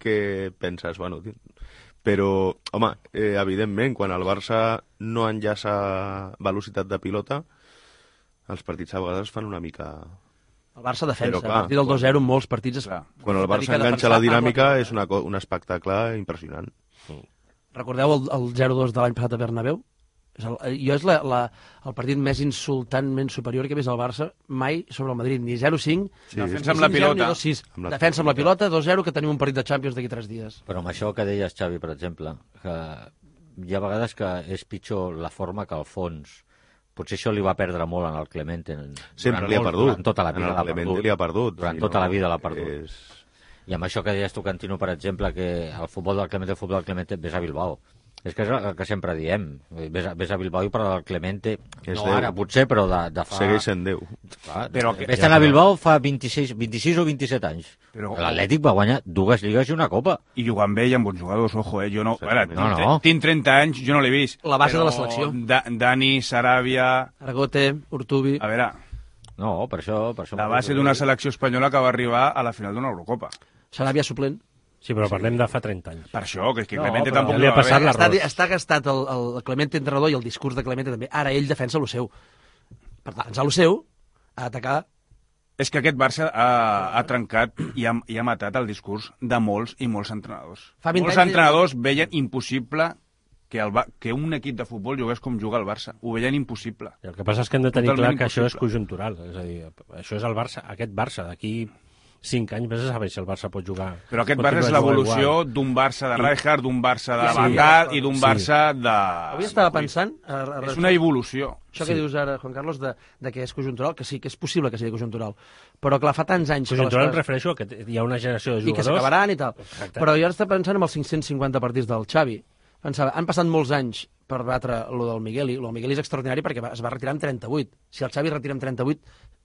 que penses, bueno... Però, home, evidentment, quan el Barça no enllaça velocitat de pilota, els partits a vegades fan una mica... El Barça defensa. A partir del 2-0 en molts partits... Quan el Barça enganxa la dinàmica és un espectacle impressionant. Recordeu el 0-2 de l'any passat a Bernabéu? Jo és el partit més insultantment superior que he vist al Barça mai sobre el Madrid, ni 0-5, defensa amb la pilota, 2-6. Defensa amb la pilota, 2-0, que tenim un partit de Champions d'aquí 3 dies. Però amb això que deies, Xavi, per exemple, que hi ha vegades que és pitjor la forma que el fons. Potser això li va perdre molt en el Clemente. Sempre li ha perdut. Durant tota la vida l'ha perdut. Durant tota la vida l'ha perdut. I amb això que deies tu, Cantino, per exemple, que el futbol del Clemente, ves a Bilbao. És que és el que sempre diem. Ves a Bilbao i parla del Clemente, no ara, potser, però de fa... Segueix sent Déu. Ves a Bilbao fa 26 o 27 anys. L'Atlètic va guanyar 2 lligues i una copa. I jugant bé i amb bons jugadors, ojo, jo no... Tinc 30 anys, jo no l'he vist. La base de la selecció. Dani, Sarabia... Argote, Urtubi... A veure... No, per això... La base d'una selecció espanyola que va arribar a la final d'una Eurocopa. Sarabia suplent. Sí, però parlem de fa 30 anys. Per això, que No, Clemente però tampoc li ha no va passat bé. l'arròs. Està gastat el Clemente entrenador i el discurs de Clemente també. Ara ell defensa el seu. Per defensar el seu, ha d'atacar. És que aquest Barça ha trencat i ha matat el discurs de molts i molts entrenadors. Fa 20 Molts anys entrenadors veien impossible que un equip de futbol jugués com juga el Barça. Ho veien impossible. I el que passa és que hem de tenir Totalment clar que això és impossible. conjuntural. És a dir, això és el Barça, aquest Barça. D'aquí 5 anys vés a saber si el Barça pot jugar. Però aquest pot Barça és jugar l'evolució igual. d'un Barça de I- Rijkaard, d'un Barça de Sí, Van Gaal i d'un sí. Barça de... Avui estava pensant... És una evolució. Això que dius ara, Juan Carlos, de que és conjuntural, que sí, que és possible que sigui conjuntural. Però clar, fa tants anys... Conjuntural em que les coses- refereixo a que hi ha una generació de I que jugadors... s'acabaran i tal. Exacte. Però jo ara estava pensant en els 550 partits del Xavi. Pensava, han passat molts anys per batre lo del Migueli. Lo del Migueli és extraordinari perquè es va retirar amb 38. Si el Xavi retira amb 38,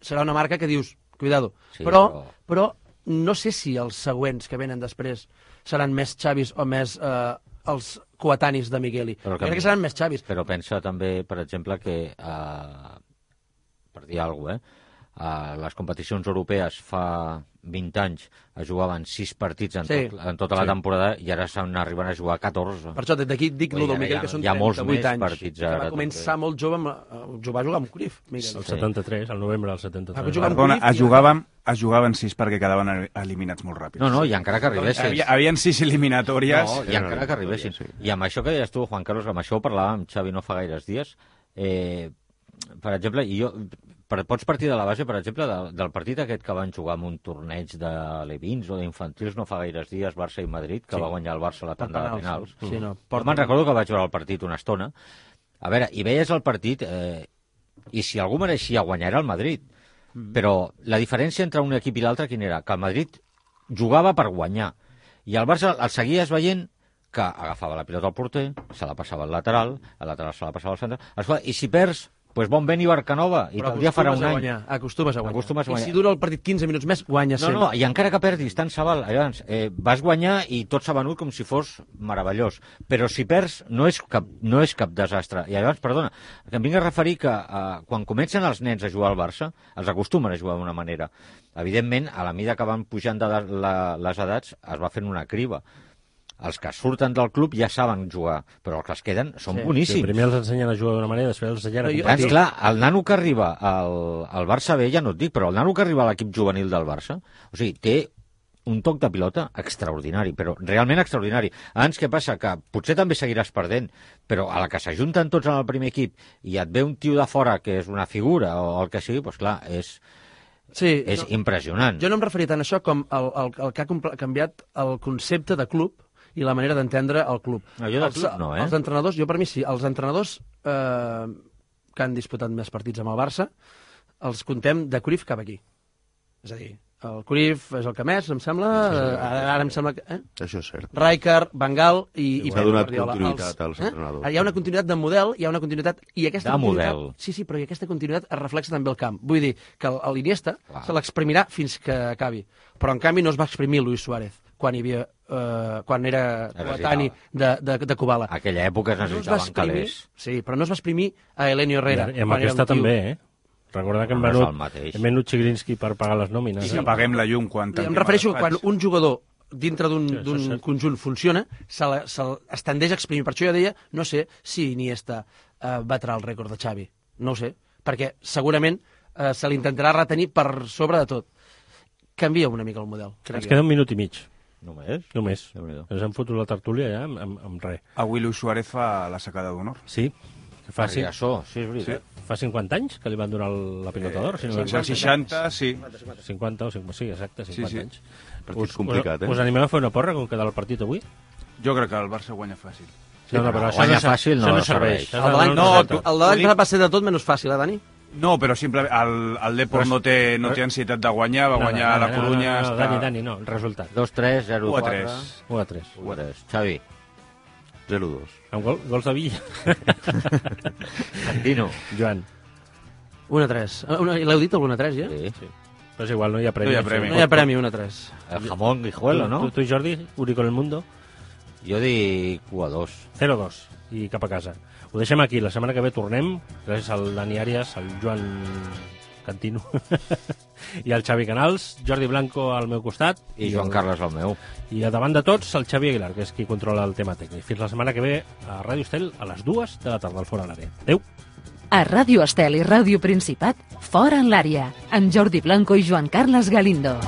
serà una marca que dius, cuidado. Sí, però no sé si els següents que venen després seran més Xavis o més els coetanis de Migueli. Però Crec que seran més Xavis. Però pensa també, per exemple, que, per dir alguna cosa, a les competicions europees fa 20 anys es jugaven 6 partits Sí. en tota la temporada i ara s'han arribat a jugar 14. Per això, d'aquí dic Vull lo dir, del Miguel, hi ha- que són hi ha molts 38 més anys. partits Que va ara, començar molt jove, va jugar amb Cruyff, Miguel. El 73, el novembre del 73. Va jugar amb Perdona, Cruyff es jugaven 6 perquè quedaven eliminats molt ràpids. No, i encara que arribessis. Havien 6 eliminatòries. No, i encara que arribessin. I amb això que deies tu, Juan Carlos, amb això ho parlàvem amb Xavi no fa gaires dies, per exemple, pots partir de la base, per exemple, del partit aquest que van jugar en un torneig de Levins o d'infantils no fa gaires dies, Barça i Madrid, que va guanyar el Barça a la tanda de penals. Sí, no, Jo me'n recordo que vaig veure el partit una estona. A veure, i veies el partit, i si algú mereixia guanyar era el Madrid. Però la diferència entre un equip i l'altre quina era? Que el Madrid jugava per guanyar. I el Barça el seguies veient que agafava la pilota al porter, se la passava al lateral se la passava al centre. Escolta, i si perds, doncs bon vent i Barcanova, i te'l dia farà un any. Acostumes a guanyar. Acostumes a guanyar. I si dura el partit 15 minuts més, guanyes sempre. No, i encara que perdis, tant se val. Llavors, vas guanyar i tot s'ha venut com si fos meravellós. Però si perds, no és cap desastre. I llavors, perdona, que em vinc a referir que quan comencen els nens a jugar al Barça, els acostumen a jugar d'una manera. Evidentment, a la mida que van pujant de les edats, es va fent una criba. Els que surten del club ja saben jugar, però els que es queden són boníssims. Sí, primer els ensenyen a jugar d'una manera, després els ensenyen a Però jo- competir. Clar, el nano que arriba al Barça B, ja no et dic, però el nano que arriba a l'equip juvenil del Barça, o sigui, té un toc de pilota extraordinari, però realment extraordinari. Abans, què passa? Que potser també seguiràs perdent, però a la que s'ajunten tots en el primer equip i et ve un tio de fora que és una figura o el que sigui, doncs clar, és impressionant. Jo no em referia tant a això com el que ha canviat el concepte de club i la manera d'entendre el club. No, jo de club no, Els entrenadors, jo per mi sí, els entrenadors que han disputat més partits amb el Barça, els contem de Cruyff cap aquí. És a dir, el Cruyff és el que més, em sembla, ara em sembla que... Això és cert. Rijkaard, Van Gaal i S'ha Pep donat Guardiola. continuïtat als entrenadors. Hi ha una continuïtat de model, hi ha una continuïtat... I aquesta De continuïtat, model. Sí, però i aquesta continuïtat es reflexa també al camp. Vull dir que l'Iniesta se l'exprimirà fins que acabi. Però, en canvi, no es va exprimir Luis Suárez quan hi havia quan era coetani de Kubala. Aquella època es necessitaven calés. Sí, però no es va exprimir a Elenio Herrera. I amb quan era aquesta un tio. també, Recorda que hem No és venut, el mateix. hem venut Chigrinsky per pagar les nòmines. I que apaguem la llum quan Em refereixo a quan un jugador dintre Sí, això és d'un cert. conjunt funciona, es tendeix a exprimir. Per això jo deia, no sé si Iniesta batrà el rècord de Xavi. No ho sé, perquè segurament se l'intentarà retenir per sobre de tot. Canvia una mica el model. Ens queda un minut i mig, Només? només. Déu-n'hi-do. Ens hem fotut la tertúlia ja amb res. Avui Luis Suárez fa la sacada d'honor. Sí, que fa, Sí, això, sí, és veritat. fa 50 anys que li van donar la pilota d'or. Si no Al 60, sí. 50 o 50, sí, exacte, 50 Sí, sí. anys. Partit complicat, Us animem a fer una porra com queda el partit avui? Jo crec que el Barça guanya fàcil. No, però això guanya no, fàcil això no no serveix. serveix. El de l'any No, passat va ser de tot menys fàcil, Dani? No, però simplement el Depor no té ansietat de guanyar, va guanyar la Corunya. No, Dani, no, resultat. 2-3, 0-4. 1-3. 1-3. 1-3. Xavi, 0-2. Amb gols de Villa. Cantino. Joan. 1-3. L'heu dit, el 1-3, ja? Sí. Sí. Però és igual, no hi ha premi. No hi ha premi. No hi ha premi, 1-3. El jamón guijuelo, no? Tu, Jordi, Uri con el mundo, Jo dic 1-2. 0-2 i cap a casa. Ho deixem aquí, la setmana que ve tornem, gràcies al Dani Arias, al Joan cantino. I el Xavi Canals, Jordi Blanco al meu costat. I Joan Carles al meu. I a davant de tots, el Xavi Aguilar, que és qui controla el tema tècnic. Fins la setmana que ve a Ràdio Estel a les 2 de la tarda al Fora l'Àrea. Adéu. A Ràdio Estel i Ràdio Principat, Fora en l'Àrea, amb Jordi Blanco i Joan Carles Galindo.